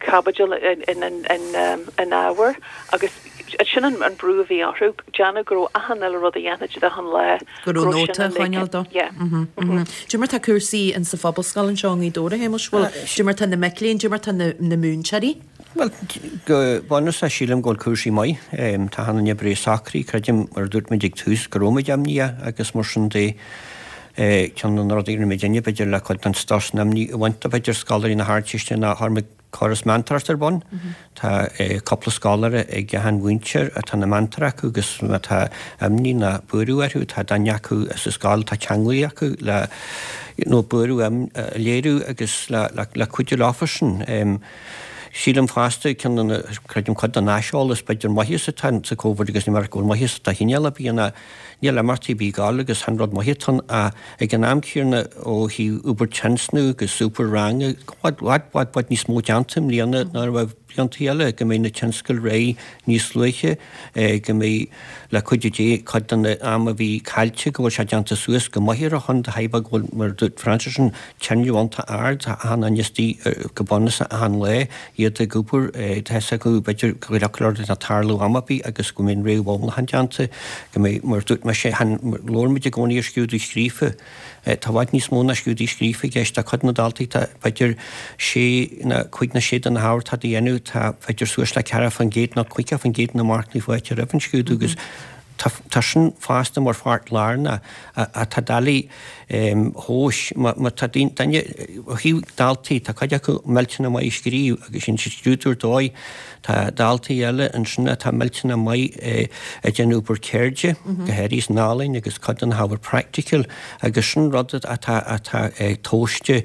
caibidil in in ábhar agus sin an brú a bhí orthu, déanamh go raibh achan uile rud a dhéanfaidh siad achan lá. Go raibh nóta á choinneáil dó. Cad é mar tá cúrsaí in sa Phobalscoil anseo i nGaoth Dobhair, a Shéamais? Bhuel, cad é mar tá na mic léinn, cad é mar tá na múinteoirí? Bhuel, go bunúsach sílim go bhfuil cúrsaí maith. Tá achan duine breá socraithe, creidim, mar a dúirt muid ag tús, go raibh muid imníoch agus mar sin de. Ceann de na rudaí a rinne muidinne, b'fhéidir, le cuid den strus nó imní a bhaint de, b'fhéidir, scoláirí na hArdteiste ná chuir muid córas meantóireachta ar bun. Tá cúpla scoláire ag achan mhúinteoir atá ina meantóir acu agus má tá imní ná buaireamh orthu, tá duine acu sa scoil atá ceanglaithe acu le you know buaireamh a léiriú agus le cuidiú leofa sin. Sílim fosta, ceann de na, creidim cuid den aiseolas b'fhéidir maitheas atá sa Covid agus ní mar go bhfuil maitheas de chineál ar bith ná Níl imeachtaí ar bith ag gabháil agus chan rud maith atá ann ach ag an am céanna ó thaobh obair tionscnamh agus obair ranga, bhfad, bhfad, bhfad, bhfad níos mó déanta i mbliana ná a raibh blianta eile, go mbeidh na tionscadail réidh níos luaithe, go mbeidh, le cuidiú Dé, cuid den am a bhí caillte go bhfuil sé déanta suas go maith ar a shon de thairbhe go bhfuil, mar a dúirt Frances, an tinreamh iontach ard, tá achan duine istigh go bunúsach achan lá. iad ag obair, tá fhios acu, b'fhéidir, go bhfuil rud ag tarlú am ar bith agus go mbeidh an réamh-ullmhúchán déanta, go mbeidh, mar a dúirt mise, chan, labhair muid i gcónaí ar scrúdú scríofa, tá i bhfad níos mó ná scrúdú scríofa i gceist, tá cuid de na daltaí, tá, b'fhéidir, sé nó cúig nó sé de na hábhair atá a dhéanamh, tá, b'fhéidir, suas le 40% nó 50% de na marcanna faighte roimh an scrúdú agus tá, tá sin fosta mar pháirt lárnach, atá doiligh a thomhas. Má tá duine, ó thaobh daltaí, tá cuid acu millteanach maith ag scríobh agus déanann siad scrúdú ar dóigh. Tá daltaí eile ansin atá millteanach maith ag déanamh obair ceirde, go háirithe san ealaín agus cuid de na hábhair practical agus sin rud atá atá tomhaiste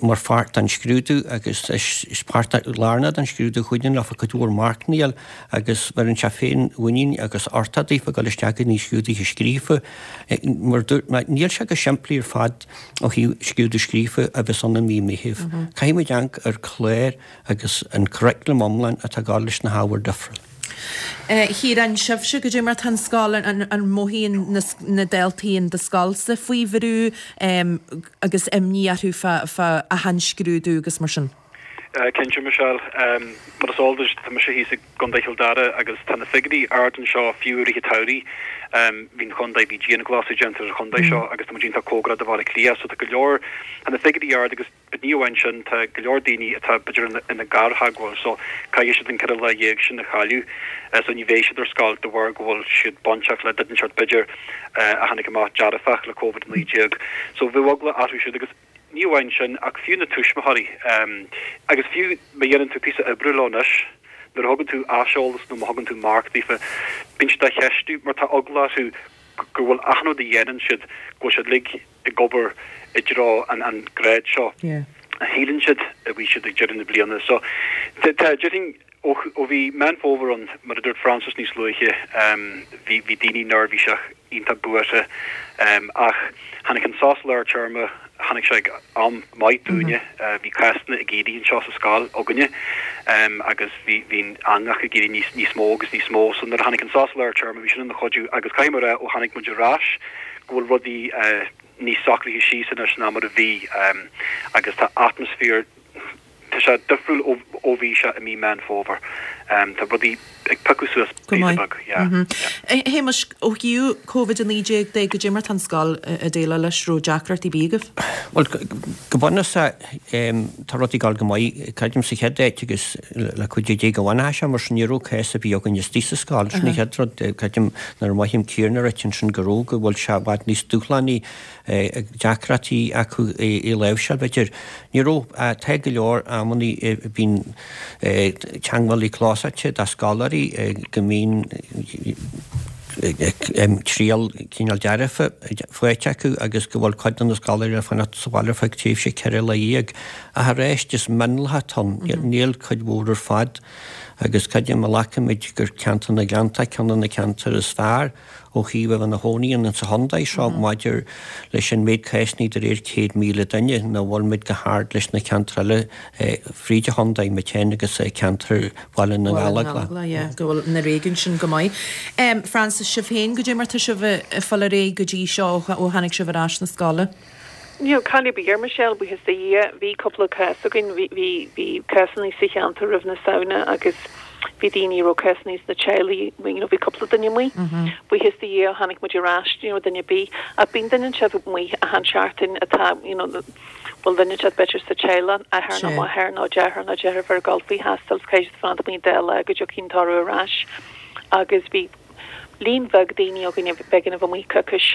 mar pháirt den scrúdú agus is páirt lárnach den scrúdú a chuidíonn leofa cuid mhór marcanna a fháil agus bheireann sé féinmhuinín agus uchtach daofa ag dul isteach go dtí scrúduithe scríofa. Mar a dúirt mé, níl sé go simplí ar fad ó thaobh scrúdú scríofa a bheas ann i mí Meithimh. Caithfidh muid amharc ar chlár agus an curriculum iomlán atá ag dul leis na hábhair difriúil. A Chiaráin, sibhse, goidé mar tá an scoil, an mothaíonn na daltaí in do scoilsa faoi bhrú agus imní orthu fá achan scrúdú agus mar sin? Cinnte, Michelle. Mar is eol duit, tá mise thíos i gContae Chill Dara agus tá na figiúirí ard anseo fiú i rith an tsamhraidh. Bhí an chontae, bhí dianghlasáil déanta ar an chontae seo agus tá muid iontach cóngarach do Bhaile Átha Cliath so tá go leor, tá na figiúirí ard agus ní amháin sin, tá go leor daoine atá b'fhéidir ina gartheagmháil so caithfidh siad an 14 lá sin a chailleadh so ní bheidh siad ar scoil de bharr go bhfuil siad bainteach le duine inteacht b'fhéidir a tháinig amach dearfach le Covid-19. So bheadh eagla orthu siúd agus. Ní amháin sin, ach fiú na tuismitheoirí, agus fiú má dhéanann tú píosa oibre leo anois, nuair a thugann tú aiseolas nó má thugann tú marc daofa, bíonn siad á cheistiú mar tá eagla orthu go bhfuil achan rud a dhéanann siad, go bhfuil siad uilig ag obair i dtreo an grád seo a shíleann siad a bhí siad ag deireadh na bliana. So, tá, déarfainn, ó bhí Meán Fómhair ann, mar a dúirt Frances níos luaithe, bhí daoine neirbhíseach, iontach buartha. Ach tháinig an sos lár téarma, tháinig sé ag am maith dúinne. Bhí cásanna ag éirí anseo sa scoil againne agus bhí bhí an eangach ag éirí níos níos mó agus níos mó. So nuair a tháinig an sos lár téarma bhí sin ina chuidiú agus caithfidh mé a rá ó tháinig muid ar ais go bhfuil rudaí níos socraithe síos anois ná mar a bhí agus tá atmaisféar Tá sé difriúil ó bhí sé i mí Meán Fómhair. Tá rudaí ag piocadh suas píosa beag, yeah, yeah. A Shéamais, ó thaobh Covid-19 de, goidé mar tá an scoil ag déileáil leis, raibh deacrachtaí ar bith agaibh? Bhuel, go bunúsach, tá rudaí ag dul go maith. Creidim sa chéad áit agus le cuidiú Dé go bhfanfaidh sé mar sin, ní raibh cás ar bith againn istigh sa scoil. Sin an chéad rud. Creidim nuair a mhothaím Ciarán ag ráit ansin go raibh, go bhfuil sé i bhfad níos dúshlánaí deacrachtaí acu i láimhseáil, b'fhéidir. Ní raibh, tá go leor amannaí bíonn teagmhálaí clósáite do scoláirí go mbíonn triail cineál dearfa faighte acu agus go bhfuil cuid de na scoláirí le fanacht sa bhaile ar feadh tréimhse 14 lá. Ach arís, is mionlach atá ann, níl cuid mhór ar fad. Agus creidim má ghlacaimid gur ceantar na nGleanntach ceann de na ceantair is fearr ó thaobh a bheith ina chónaí ann sa chontae seo maidir leis an méid cásanna de réir 100,000 duine, nach bhfuil muid go hard leis na ceantair eile fríd an chontae, Maigh agus ceantar Bhaile na nGallóglach. Yeah, go bhfuil na réigiúin sin go maith. Frances, sibh féin, goidé mar tá sibh ag fáil ar aghaidh go dtí seo ó tháinig sibh ar ais na scoile? Níl caill ar bith air, Michelle, buíochas do Dhia. Bhí cúpla cás againn, bhí, bhí, bhí cásanna sa cheantar roimh na Samhna agus bhí daoine a raibh cásanna sna teaghlaigh, you know, bhí cúpla duine amuigh. Buíochas do Dhia ó tháinig muid ar ais, ní raibh duine ar bith. Ach bíonn duine inteacht amuigh achan seachtain atá, you know, bhfuil duine inteacht b'fhéidir sa teaghlach, athair nó máthair nó deartháir nó deirfiúr ag dul faoi thástáil is caithfidh siad fanacht amuigh an dá lá go dtiocfaidh an toradh ar ais. Agus bhí líon bheag daoine againn a b'éigean a bheith amuigh coicís.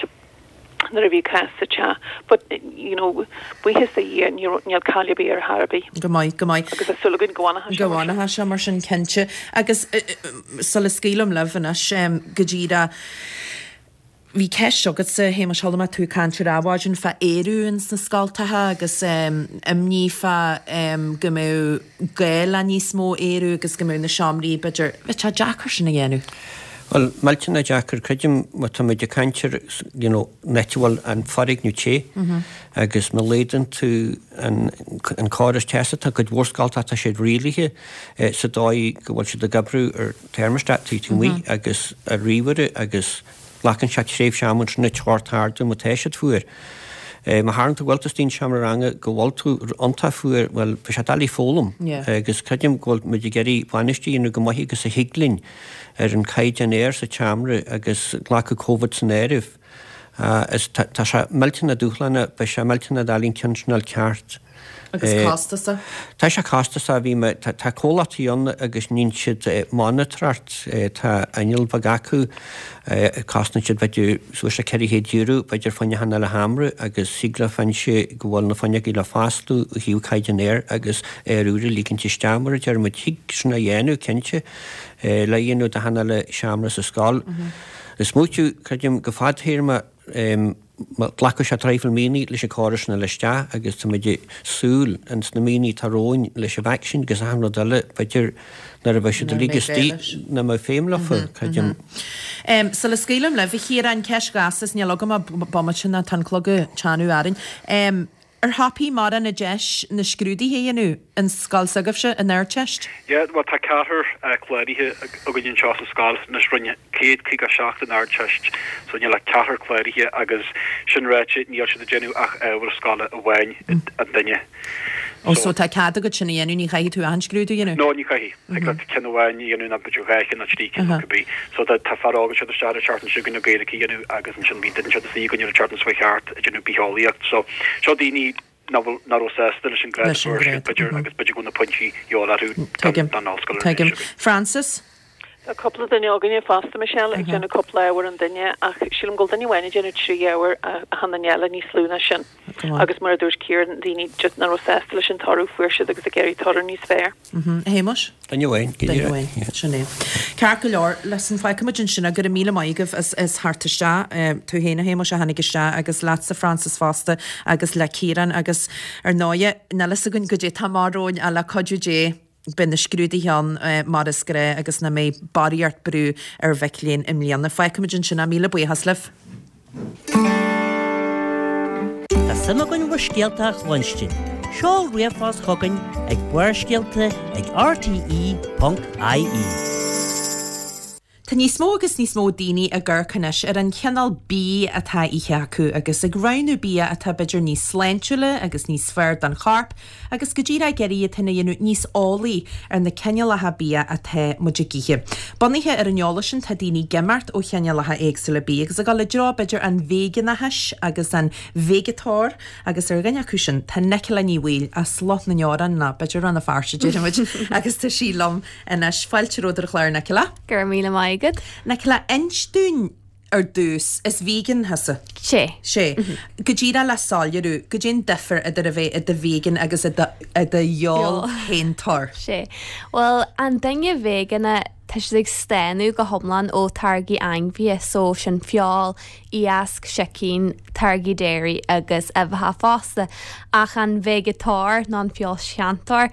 nuair a bhí cás sa teach. But, you know, buíochas do Dhia, ní raibh, níl caill ar bith ar chor ar bith. Go maith, go maith. Agus tá súil againn go bhfanfaidh sé Go mar sin. bhfanfaidh sé mar sin, cinnte. Agus sula scaoilim libh anois, go díreach, bhí ceist agatsa, a Shéamais, chuala mé tú ag caint ar Adhmhaidin fá aerú ins na scoltacha agus imní fá go mbeadh gá le níos mó aerú agus go mbeadh na seomraí, b'fhéidir, bheadh sé deacair sin a dhéanamh. Bhuel, millteanach deacair, creidim, má tá muid ag caint ar, you know, an áit a bhfuil an foirgneamh te agus má laghdaíonn tú an, an córas teasa, tá cuid mhór scoltacha, tá siad rialaithe sa dóigh go bhfuil siad ag oibriú ar thermostat taobh amuigh agus ar ríomhaire agus glacann sé tréimhse ama ansin an teocht a ardú má tá siad fuar. Má tharlaíonn tú go bhfuil tú istigh in seomra ranga go bhfuil tú iontach fuar, bhuel, beidh sé doiligh foghlaim agus creidim go bhfuil muid ag iarraidh bainistiú a dhéanamh go maith agus a thig linn ar an caighdeán aeir sa tseomra agus glacadh Covid san áireamh. Is tá sé millteanach dúshlánach, beidh sé millteanach doiligh an ceann sin a fháil ceart. Agus costasach. Tá sé costasach, bhí mé, tá comhlachtaí ann agus níonn siad monatóireacht, tá inneall beag acu, cosnaíonn siad b'fhéidir suas le €400 b'fhéidir fá choinne achan uile sheomra agus thig leo fáinne go bhfuil na fuinneoga le foscladh ó thaobh caighdeán aeir agus aer úr a ligint isteach mar a deir muid. Thig sin a dhéanamh, cinnte. le dhéanamh d'achan uile seomra sa scoil. Is smaoitiú, creidim, go fadtéarma, glacfaidh sé traidhfil míonna leis an córas sin a fháil isteach agus tá muid ag súil ins na míonna atá romhainn leis an vacsaín agus achan rud eile, b'fhéidir nuair a bheidh siad uilig istigh nach mbeidh feidhm leofa, creidim. Sula scaoilim libh, a Chiaráin, ceist ghasta is níl agam ach bomaite nó tá an clog ag teannadh orainn. Ar thapaigh mórán an deis na scrúduithe a dhéanamh an scoil s'agaibhse, an Ardteist? Yeah, bhuel tá ceathrar cláraithe againn anseo sa scoil anois, rinne 157 an Ardteist so níl ach ceathrar cláraithe agus sin ráite níl siad ag déanamh ach ábhar scoile amháin an duine. Oh so tá cead agat sin a dhéanamh, ní chaithfidh tú achan scrúdú a dhéanamh? No, ní chaithfidh. Thig leat ceann amháin a dhéanamh nó b'fhéidir dhá cheann nó trí cinn nó cibé. So tá tá fear óg anseo isteach an tseachtain seo chugainn le Gaeilge a dhéanamh agus ansin bhí duine anseo istigh againn an tseachtain seo chuaigh thart ag déanamh bitheolaíocht. So seo daoine nach bhfuil nach raibh sásta leis an grád a fuair siad b'fhéidir agus b'fhéidir go bhfuil na pointí de dhíobháil orthu Tuigim. don ollscoil ar an Tuigim. seo chugainn. Frances? Tá cúpla duine againne fosta, Michelle, ag déanamh cúpla ábhar an duine ach sílim go bhfuil duine amháin ag déanamh trí ábhar achan duine eile níos lú ná sin. Agus mar a dúirt Ciarán, daoine just nach raibh sásta leis an toradh a fuair siad agus ag iarraidh toradh níos fearr. A Shéamais? Duine amháin, go Duine amháin, sin é. Ceart go leor, listen, fágfaidh muid ansin é, go raibh míle maith agaibh as as theacht isteach, tú féin a Shéamais a tháinig isteach agus leatsa Frances fosta agus le Ciarán agus ar ndóighe, níl fhios againn goidé tá amach romhainn ach le cuidiú Dé beidh na scrúduithe ann mar is gnáth agus nach mbeidh barraíocht brú ar mhic léinn i mbliana. Fágfaidh muid ansin é, míle buíochas libh. Tá suim againn bhur scéalta a chluinstin. Seol ríomhphost chugainn ag barrscéalta ag rte.ie. Tá níos mó agus níos mó daoine ag amharc anois ar an chineál bídh atá á ithe acu agus ag roghnú bia atá b'fhéidir níos sláintiúla agus níos fearr don chorp agus go díreach ag iarraidh iad féin a dhéanamh níos eolaí ar na cineálacha bia atá muid ag ithe. Bunaithe ar an eolas sin tá daoine ag imeacht ó chineálacha éagsúla bídh agus ag dul i dtreo b'fhéidir an veigeánachais agus an veigeatóir agus ar dhuine acu sin tá Nicola Ní Bhaoill as Loch na nDeorán nó b'fhéidir Rann na Feirste déarfaimid agus tá sí liom anois. Fáilte romhat ar an chlár Nicola. Go raibh míle maith agat. Nicola, inis dúinn ar dtús, is vegan thusa? Sé. Sé. Go díreach le soiléiriú, goidé an difear idir a bheith i do vegan agus i do i do fheoilshéantóir? Sé. Bhuel, an duine veigeánach. tá siad ag staonadh go hiomlán ó táirgí ainmhithe, so sin feoil, iasc, sicín, táirgí dairy agus uibheacha fosta. Ach an veigeatóir nó an feoilséantóir,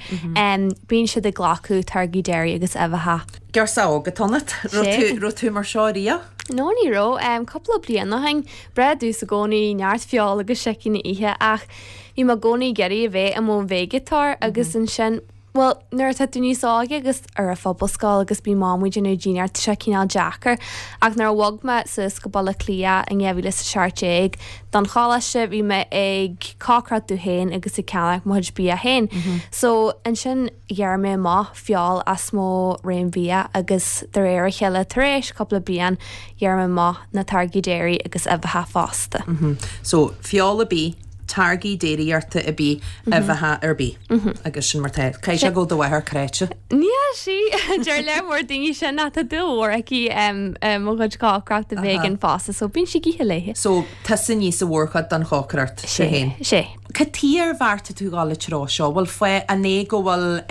bíonn siad ag glacadh táirgí dairy agus uibheacha. Girseach óg atá ionat. Raibh tú mar seo riamh? No, ní raibh. Cúpla bliain ó shin, breá domhsa i gcónaí neart feoil agus sicín a ithe ach bhí mé i gcónaí ag iarraidh a bheith i mo veigeatóir agus ansin, Bhuel, nuair atá tú níos óige agus ar an phobalscoil agus bíonn Mam ag déanamh dinnéar, tá sé cineál deacair. Ach nuair a bhog mé suas go Baile Átha Cliath in 2017 don choláiste, bhí mé ag cócaireacht domh féin agus ag ceannach mo chuid bia féin. So, ansin ghearr mé amach feoil as mo réim bhia agus de réir a chéile, tar éis cúpla bliain, ghearr mé amach na táirgí dairy agus uibheacha fosta. So, feoil ar bith, táirgí déiríochta ar bith, uibheacha ar bith. Agus sin mar tá. Caithfidh sé go bhfuil do mháthair cráite. Níl sí! Deir lear mór daoine sin ach tá dúil mhór aici i mo chuid cócaireachta vegan fosta so bíonn sí ag ithe léi. So, tusa a níos an mhórchuid den chócaireacht, tú féin. Sé. Cad tuige ar bheartaigh tú dhul an treo seo? Bhfuil fáth, an é go bhfuil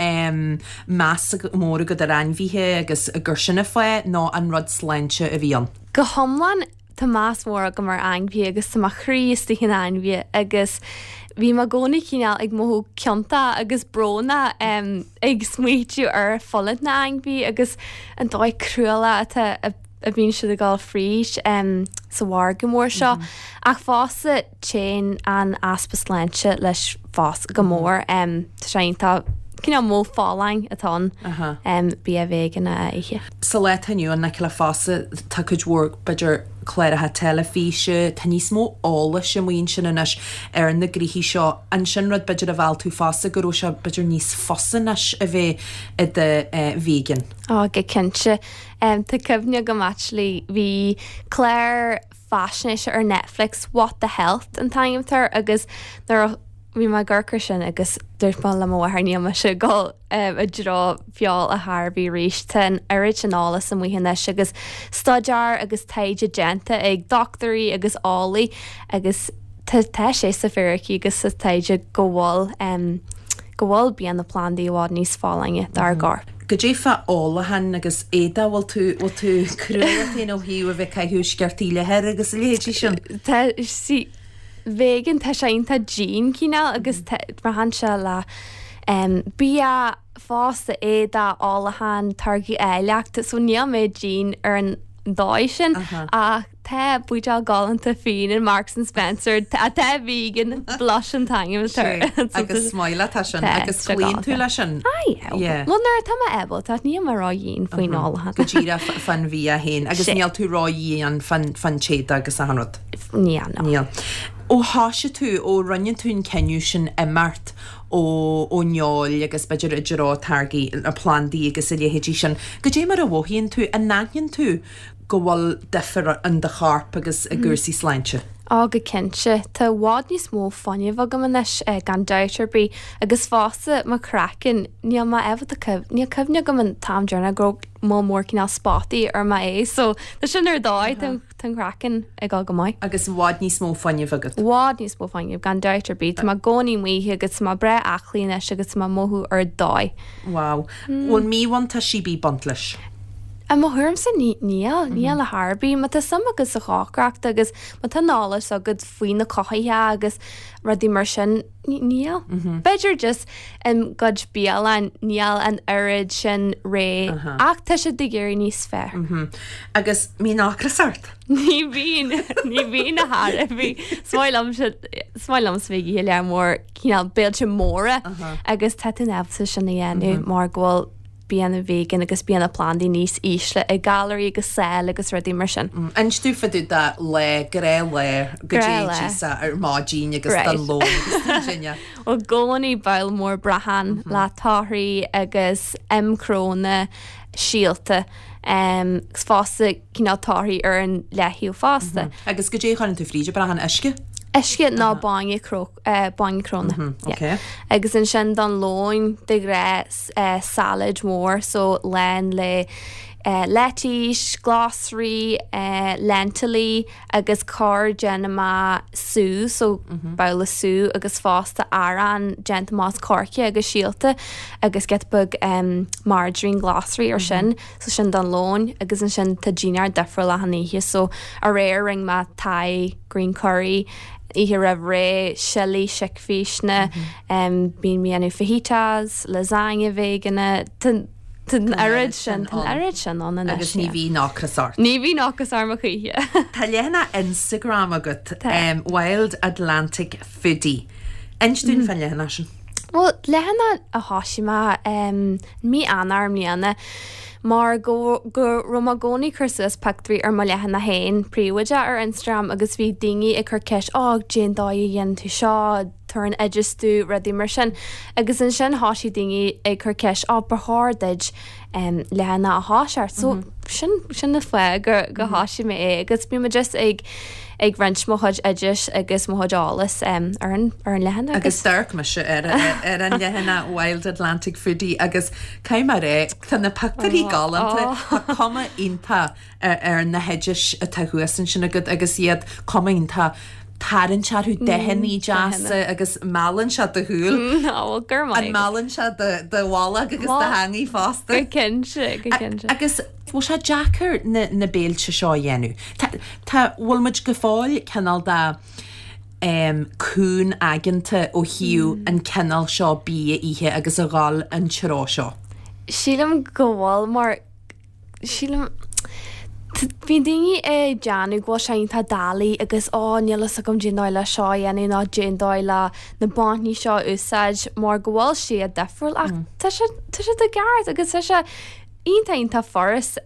meas mór agat ar ainmhithe agus gur sin an fáth nó an rud sláinte a bhí ann? Go hiomlán Tá meas mór agam ar ainmhithe agus tá mo chroí istigh in ainmhithe agus bhí mé i gcónaí cineál ag mothú ciontach agus brónach ag smaoitiú ar fulaingt na n-ainmhithe agus an dóigh cruálach atá a bhíonn siad ag dul fríd sa mhargadh mór seo. Ach fosta téann an easpa sláinte leis fosta go mór. Tá sé iontach cineál modh folláin atá ann bia vegan a ithe. Sa lá atá inniu ann, Nicola, fosta, tá cuid mhór, b'fhéidir, cláracha teilifíse, tá níos mó eolais amuigh ansin anois ar na gnoithí seo. An sin rud, b'fhéidir, a mheall tú fosta, go raibh sé, b'fhéidir, níos fusa anois a bheith i do vegan? Ó, go cinnte. Tá cuimhne agam actually, bhí clár faisnéise ar Netflix, What the Health an t-ainm atá air, agus nuair a bhí mé ag amharc air sin agus dúirt mé le mo mháthair níl mise ag dul i dtreo feoil ar chor ar bith arís. Tá an oiread sin eolas amuigh anois agus staidéar agus taighde déanta ag dochtúirí agus eolaí agus tá tá sé sa fíricí agus sa taighde go bhfuil go bhfuil bianna plandaí i bhfad níos folláine dár gcorp. Goidé fá ólachán agus éadaí, bhfuil tú, bhfuil tú crua ort féin ó thaobh a bheith ag caitheamh sciortaí leathair agus a leithéidí sin? Tá, see, vegan, tá sé iontach dian cineál agus braitheann sé le bia, fosta, éadaí, ólachán, táirgí áilleachta, so níl mé dian ar an dóigh sin ach tá buidéal galánta fíon in Marks and Spencer atá vegan, Blush an t-ainm atá air. Agus smile atá sin agus cloíonn tú leis sin? Aye, bhuel nuair atá mé ábalta, níl mé ró-dhian faoin ólachán. Go díreach fán bhia féin agus níl tú ró-dhian fán t-éadach agus achan rud? Níl, no. Níl. Ó thoisigh tú, ó rinne tú an cinneadh sin imeacht ón fheoil agus b'fhéidir i dtreo táirgí plandaí agus a leithéidí sin, goidé mar a mhothaíonn tú? An aithníonn tú go bhfuil difear in do chorp agus i gcúrsaí sláinte? Á, go cinnte. Tá i bhfad níos mó fuinnimh agam anois, gan dabht ar bith. Agus fosta, mo chraiceann, níl mé ábalta cuimh-, níl cuimhne agam an t-am deireanach go raibh moll mór cineál spotaí ar m'aghaidh, so tá sin ar dóigh, tá an. Tá an craiceann ag dul go maith. Agus i bhfad níos mó fuinnimh agat. I bhfad níos mó fuinnimh, gan dabht ar bith. Tá mé i gcónaí amuigh agus tá mé breá aclaí anois agus tá mé ag mothú ar dóigh. Wow. Bhfuil míbhuntáistí ar bith ag baint leis? I mo thuairimse níl, níl ar chor ar bith. Má tá suim agat sa chócaireacht agus má tá an eolas agat faoi na cothaithe agus rudaí mar sin, Níl. B'fhéidir just i gcuid bialann níl an oiread sin rogha ach tá siad ag éirí níos fearr. Agus mbíonn ocras ort? Ní bhíonn, ní bhíonn ar chor ar bith. Is maith liomsa, is maith liomsa bheith ag ithe lear mór cineál béilte móra agus tá tú in ábalta sin a dhéanamh mar go bhfuil bianna vegan agus bianna plandaí níos ísle i gcalraí agus saill agus rudaí mar sin. Inis domh fá dtaobh de lá, gnáthlá, goidé a d'íosfá ar maidin agus don lón agus don dinnéar. I gcónaí babhla mór brachán le torthaí agus im cnónna, síolta agus fosta cineál torthaí ar an leath-thaobh fosta. Agus goidé a chuireann tú fríd an brachán, uisce? Uisce nó bainne cró. bainne cnónna. Ok. Agus ansin don lón de ghnáth salad mór so lán le. Leitís, glasraí, lentilí agus corr déanfaidh mé sú, so babhla sú agus fosta arán déanta amach as coirce agus síolta agus giota beag margarine glasraí ar sin, so sin don lón agus ansin tá dinnéar difriúil achan oíche so aréir rinne mé Thai green curry, oíche roimh ré, sillí, sicphíseanna, bíonn mé ag déanamh fajitas, lasagne veigeánach, Tá an oiread sin, tá an oiread sin ann anois. Agus ní bhíonn ocras ort. Ní bhíonn ocras orm a choíche. Tá leathanach Instagram agat, Wild Atlantic Foodie. Inis dúinn fán leathanach sin. Bhuel, leathanach a thosaigh mé mí Eanáir i mbliana mar go go raibh mé i gcónaí ag cur suas pictiúirí ar mo leathanach féin príobháideach ar Instagram agus bhí daoine ag cur ceist, 'Ó, cén dóigh a dhéanann tú seo? tabhair an oideas domh, rudaí mar sin. Agus ansin thosaigh daoine ag cur ceist, 'Ó, ba chóir duit leathanach a thoiseacht. So sin, sin an fáth go, go thosaigh mé é agus bíonn mé just ag, ag roinnt mo chuid oidis agus mo chuid eolas ar an, ar an leathanach. Agus d'amharc mise ar, ar an leathanach Wild Atlantic Foodie agus caithfidh mé a rá, tá na pictiúirí galánta, tá cuma iontach ar na hoidis atá thuas ansin agat agus iad cuma iontach tarraingt orthu, dathanna deasa agus meallann sé do shúil. Ó, go raibh maith An meallann sé do bholg agus do theangaidh fosta? Go cinnte, go cinnte. Agus bhfuil sé deacair na béilte seo a dhéanamh? Tá, bhfuil muid go fóill cineál de cúng-aigeanta ó thaobh an cineál seo bia a ithe agus a dhul an treo seo? Sílim go bhfuil mar Sílim, bíonn daoine ag déanamh go bhfuil sé iontach doiligh agus ó níl fhios agam cén dóigh le seo a dhéanamh nó cén dóigh le na bainní seo a úsáid mar go bhfuil siad difriúil ach tá sé tá siad i gceart agus tá sé iontach iontach furast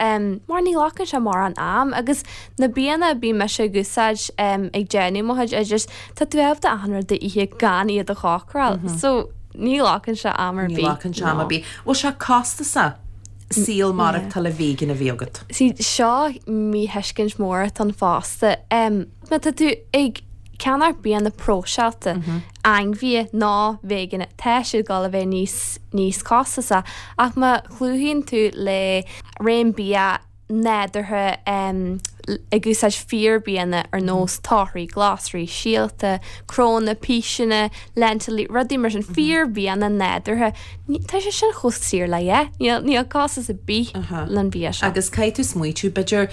mar ní ghlacann sé mórán am agus na bianna a bíonn mise ag úsáid ag déanamh mo chuid oideas tá tú ábalta achan rud a ithe gan iad a chócaráil so ní ghlacann sé am ar Ní bith. ghlacann sé am ar bith. Bhfuil sé costasach? saol maireachtála vegan a bheith agat. See, seo míthuiscint mór atá ann fosta. Má tá tú ag ceannach bianna próiseáilte, ainmhithe nó veigeánach, tá siad ag dul a bheith níos, níos costasaí. Ach má chlúdaíonn tú le réim bia nádúrtha, ag úsáid fíor-bianna ar nós torthaí, glasraí, síolta, cnónna, píseanna, lentilí, rudaí mar sin, fíor-bhianna nádúrtha, tá sé sin chomh saor le a dhath. Níl, níl costas ar bith le an bia seo. Agus caithfidh tú smaoitiú, b'fhéidir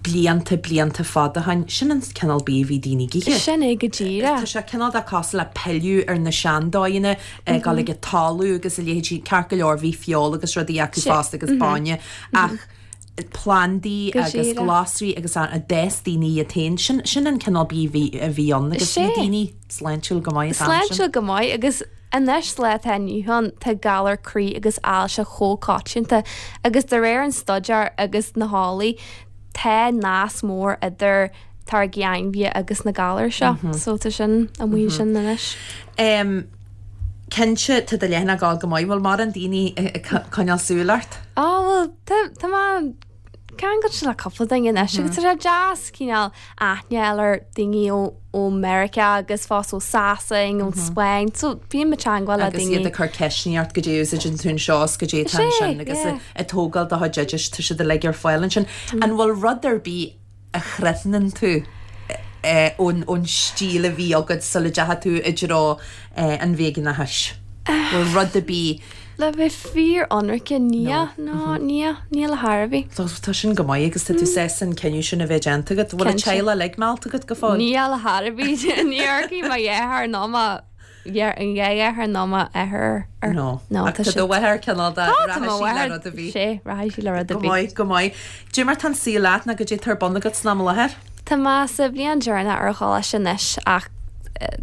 blianta, blianta fada ó shin, sin an cineál bia a bhí daoine ag ithe. Sin é go díreach. Tá sé cineál de cosúil le pilleadh ar na seandóigheanna, ag dul ag an talamh agus a leithéidí, ceart go leor bhí feoil agus rudaí acu fosta agus bainne ach plandaí agus glasraí agus a d'fhás daoine iad féin. Sin, sin an cineál bia a bhí, a bhí ann agus bhí daoine sláintiúil go maith an t-am sin. Sláintiúil go maith agus anois sa lá atá inniu ann tá galar croí agus ailse chomh coitianta agus de réir an staidéar agus na heolaí tá nasc mór idir táirgí ainmhithe agus na galair seo. So tá sin amuigh ansin anois. Em. Cinnte, tá do leathanach ag gabháil go maith. Bhfuil mórán daoine ag coinneáil súil ort? Á, bhuel, tá, tá mé ceangailte le cúpla duine anois agus tá sé deas cineál aithne a fháil ar daoine ó, ó Meiriceá agus fosta ó Sasain, ón Spáinn, so bíonn mé ag teagmháil le Agus daoine. iad ag cur ceisteanna ort goidé a úsáideann tú anseo is goidé atá ansin agus ag tógáil do chuid oidis, tá siad uilig ar fáil ansin. An bhfuil rud ar bith a chrothnaíonn tú ón stíl a bhí agat sula dteachaigh tú i dtreo an veigeánachais? Bhfuil rud ar bith. Le bheith fíor-ionraice, níl, no, níl, níl ar chor ar bith. Tá sin go maith agus tá tú sásta an cinneadh sin a bheith déanta agat. Bhfuil an teaghlach uilig meallta agat go fóill? Níl ar chor ar bith. Ní amharcfaidh mo dheartháir ná mo an dheartháir ná m'athair ar. No. No, Ach tá tá do mháthair cineál de, Tá, tá rachaidh mo sí le mháthair, rud ar bith. sé, rachaidh sí le rud ar Go bith. maith, go maith. Goidé mar tá an saol leat nó goidé atá ar bun agat san am i láthair? Tá mé sa bhliain deireanach ar choláiste anois ach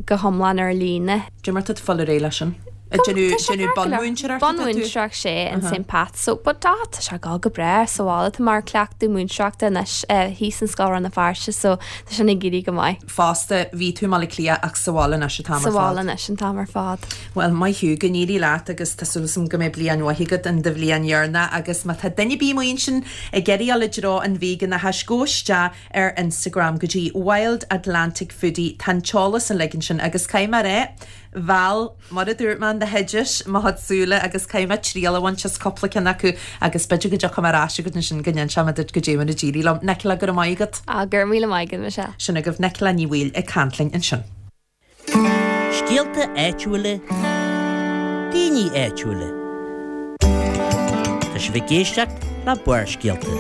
go hiomlán ar líne. Goidé mar tá tú ag fáil ar aghaidh leis sin? Ag Go, déanamh, tá sé déanamh ceart go leor. bunmhúinteoireachta atá tú? Bunmhúinteoireacht, sé, in St Pat's. So, but tá, tá sé ag dul go breá sa bhaile. Tá mé ar cleachtadh múinteoireachta anois thíos in Scoil Rann na Feirste so tá sin ag éirí go maith. Fosta, bhí tú i mBaile Átha Cliath ach sa bhaile anois an t-am Sa ar bhaile fad. anois an t-am ar fad. Bhuel, maith thú, go n-éirí leat agus tá súil agam go mbeidh bliain mhaith agat in do bhliain dheireanach agus má tá duine ar bith amuigh ansin ag iarraidh dul i dtreo an veigeánachais, gabh isteach ar Instagram go dtí Wild Atlantic Foodie, tá an t-eolas uilig ansin agus caithfidh mé a rá. Mheall, mar a dúirt mé, na hoidis mo chuid súile agus caithfidh mé triail a bhaint as cúpla ceann acu agus b'fhéidir go dtiocfaidh mé ar ais chugat ansin go n-inseoidh mé duit goidé mar a d'éirigh liom. Nicola, go raibh maith agat. Ah, go raibh míle maith agat, Michelle. Sin agaibh Nicola Ní Bhaoill ag caint linn ansin. Scéalta áitiúla, daoine áitiúla. Tá sibh ag éisteacht le Barrscéalta.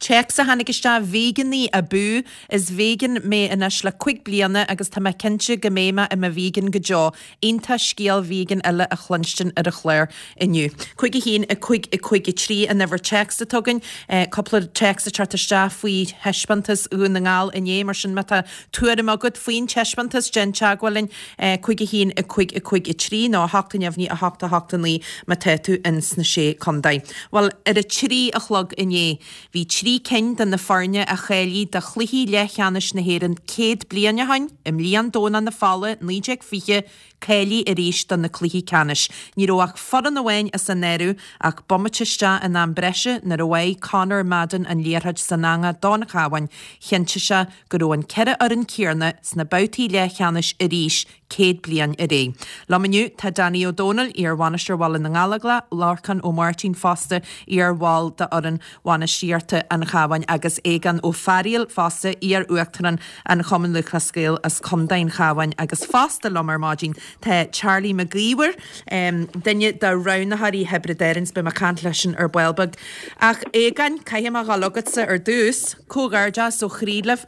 Téacs a tháinig isteach, Véigeanaí abú! Is véigean mé anois le 5 bliana agus tá mé cinnte go mbeidh mé i mo véigean go deo. Iontach scéal véigean eile a chluinstin ar an chlár inniu. 5 1 5 5 3 an uimhir téacs atá againn. Cúpla téacs ag teacht isteach faoi thaispeántas Dhún na nGall inné, mar sin má tá tuairim agat faoin taispeántas, déan teagmháil linn, 5 1 5 5 3 nó 8 neamhní 8 8 9 má tá tú ins na Sé Contae. Bhuel, ar a 3 a chlog inné, bhí 3 cinn de na foirne a cháiligh do chluichí leathcheannais na hÉireann 100 bliain ó shin, i mbliain Domhnach na Fola 1920, cáilithe arís do na cluichí ceannais. Ní raibh ach foireann amháin as an áireamh ach bomaite isteach in am breise nuair a bháigh Conor Madden an liathróid san eangach don Chabhán, chinntigh sé go raibh an 4 fhoireann céanna sna babhtaí leathcheannais arís 100 bliain ar aghaidh. Liom inniu tá Danny Ó Domhnaill, iar-bhainisteoir Bhaile na nGallóglach, Lorcán Ó Máirtín fosta, iar-bhall d'fhoireann bhainistíochta an Chabháin agus Aogán Ó Fearaíl fosta, iar-uachtarán an Chumann Lúthchleas Gael as Contae an Chabháin agus fosta liom ar maidin tá Charlie Mac Íomhair, duine de roghnaitheoirí Thiobraid Árann is beidh mé ag caint leisean ar ball beag. Ach Aogáin, caithfidh mé a dhul chugatsa ar dtús. Comhghairdeas ó chroí libh.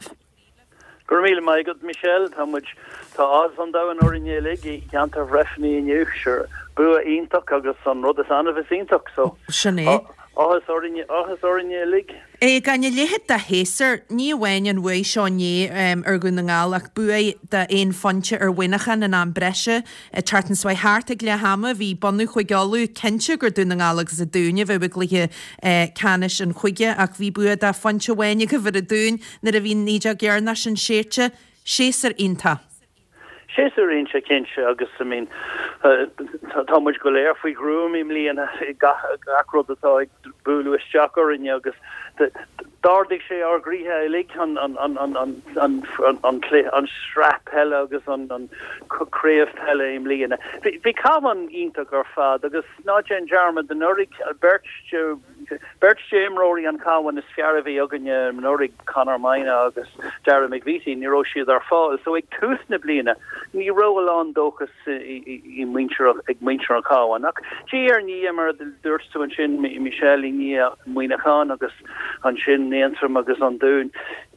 Go raibh míle maith agat, Michelle. Tá muid, tá áthas an domhain orainn uilig i gceantar Bhreifne inniu. Sure, bua iontach agus an rud is annamh is iontach, so Sin é. áthas orainn, áthas orainn uilig. Aogáin, a leithéid de shéasúr, ní amháin an bhuaidh seo inné ar Dhún na nGall ach buaidh de aon phointe ar Mhuineachán in am breise. An tseachtain seo thart ag leath ama, bhí bunadh Chúige Uladh cinnte gur Dún na nGall agus an Dún a bheadh i gcluiche ceannais an chúige ach bhí bua de phointe amháin agaibh ar an Dún nuair a bhí an fhídeog dheireanach sin séidte. Séasúr iontach. Séasúr iontach cinnte agus I mean tá muid go léir faoi ghruaim i mbliana gach gach rud atá ag bualadh isteach orainne agus d'ardaigh sé ár gcroíthe uilig an an an an an an an cluiche an sraith peile agus an an craobh peile i mbliana. Bhí bhí Cabhán iontach ar fad agus ná déan dearmad anuraidh beirt de Beirt d'imreoirí an Chabháin is fearr a bhí againne anuraidh, Conor Moynagh agus Darragh McVeety, ní raibh siad ar fáil. So ag tús na bliana ní raibh a lán dóchas i muintir ag muintir an Chabháin. Ach diaidh ar ndiaidh, mar a dúirt tú ansin, Michelle, i ndiaidh Muineachán agus ansin Aontroim agus an Dún,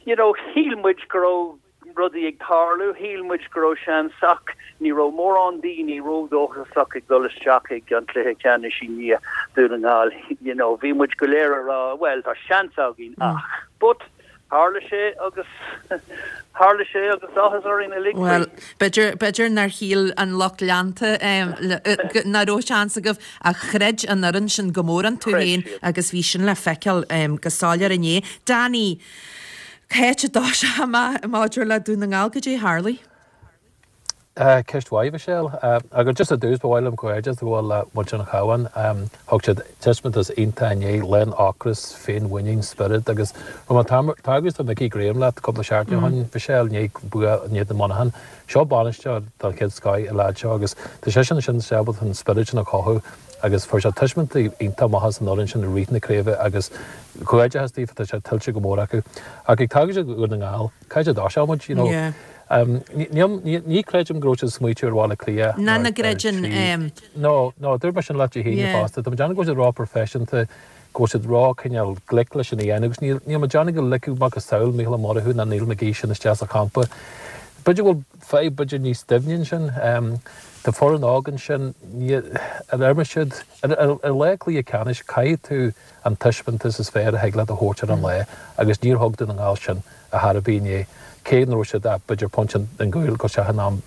you know, shíl muid go raibh rudaí ag tarlú. Shíl muid go raibh seans ach ní raibh mórán daoine ródhóchasach ag dul isteach ag an cluiche ceannais i ndiaidh Dún na nGall. You know, bhí muid go léir ag rá, bhuel, tá seans againn ach. But tharla sé agus tharla sé agus áthas orainn uilig faoi. Bhuel, b'fhéidir, b'fhéidir nár shíl an lucht leanta nach raibh seans agaibh ach chreid an fhoireann sin go mór iontu féin agus bhí sin le feiceáil go soiléir inné. Danny, Cá háit a dtoiseoidh mé maidir le Dún na nGall, goidé a tharlaigh? Ceist mhaith, Michelle. Agus just ar dtús, ba mhaith liom comhghairdeas a ghabháil le muintir an Chabháin. Thug siad taispeántas iontach inné, lán ocras, féinmhuinín, spiorad agus raibh mé ag tagairt do Mickey Graham leat cúpla seachtain ó shin, Michelle, i ndiaidh bua in éadan Mhuineacháin. Seo bainisteoir den chéad scoth an leaid seo agus tá seisean ansin ábalta an spiorad sin a chothú agus fuair sé tuismint iontach maith as an fhoireann sin i rith na craoibhe agus comhghairdeachas daofa, tá sé tuillte go mór acu. Ach ag tagairt do Dhún na nGall, cá háit a dtoiseodh muid, you know? Ní creidim go raibh siad ag smaoitiú ar Bhaile Átha Cliath Ná na gcreideann. No, no, dúirt mé sin leat Dé hAoine fosta. Tá mé ag déanamh go bhfuil siad ró-professionta, go bhfuil siad ró cineál glic leis sin a dhéanamh agus níl níl mé ag déanamh go ligfeadh macasamhail Mícheál Ó Murchú ná Neil McGee sin isteach sa champa. B'fhéidir go bhfuil fadhb b'fhéidir níos doimhne ansin. Tá foireann óg ansin, ar imir siad, ar lá cluiche ceannais caithfidh tú an taispeántas is fearr a thig leat a thabhairt ar an lá agus níor thug Dún na nGall sin ar chor ar bith inné, cé nach raibh siad ach b'fhéidir pointe den gcúl go isteach in am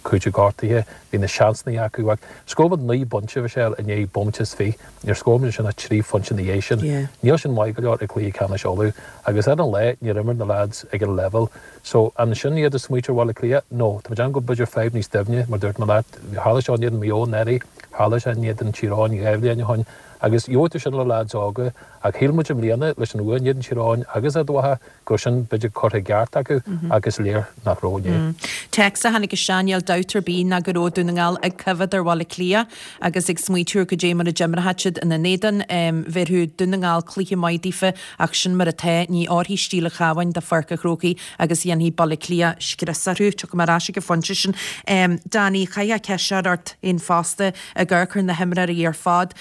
cúiteamh gortaithe, bhí na seansanna acu ach scór muid 9 bpointe, Michelle, i ndiaidh bomaite is 20, níor scór muid ansin ach 3 phointe ina dhiaidh sin. Níl sin maith go leor i gcluiche ceannais Uladh agus ar an lá níor imir na lads ag an leibhéal so an sin iad ag smaoitiú ar Bhaile Átha Cliath? No, tá mé ag déanamh go b'fhéidir fadhb níos doimhne mar dúirt mé leat, tharla seo in éadan Maigh Eo anuraidh, tharla sé in éadan Tír Eoghain 2 bhliain ó shin agus gheobhaidh tú sin le lads óga. Ach shíl muid i mbliana, leis an bhua in éadan Tír Eoghain agus Ard Mhacha, go raibh sin b'fhéidir curtha i gceart acu ach is léir nach raibh inné. Téacs a tháinig isteach, níl dabht ar bith ná go raibh Dún na nGall ag coimhéad ar Bhaile Átha Cliath agus ag smaoitiú ar goidé mar a d'imreochadh siad ina n-éadan. Bhéarfadh Dún na nGall cluiche maith daofa ach sin mar atá, ní fhóirfidh stíl an Chabháin do Pháirc an Chrócaigh agus dhéanfaidh Baile Átha Cliath scrios orthu. Tiocfaidh mé ar ais ag an phointe sin. Danny, chaithfeá ceist seo a chur ort féin fosta, ag amharc ar na himreoirí ar fad.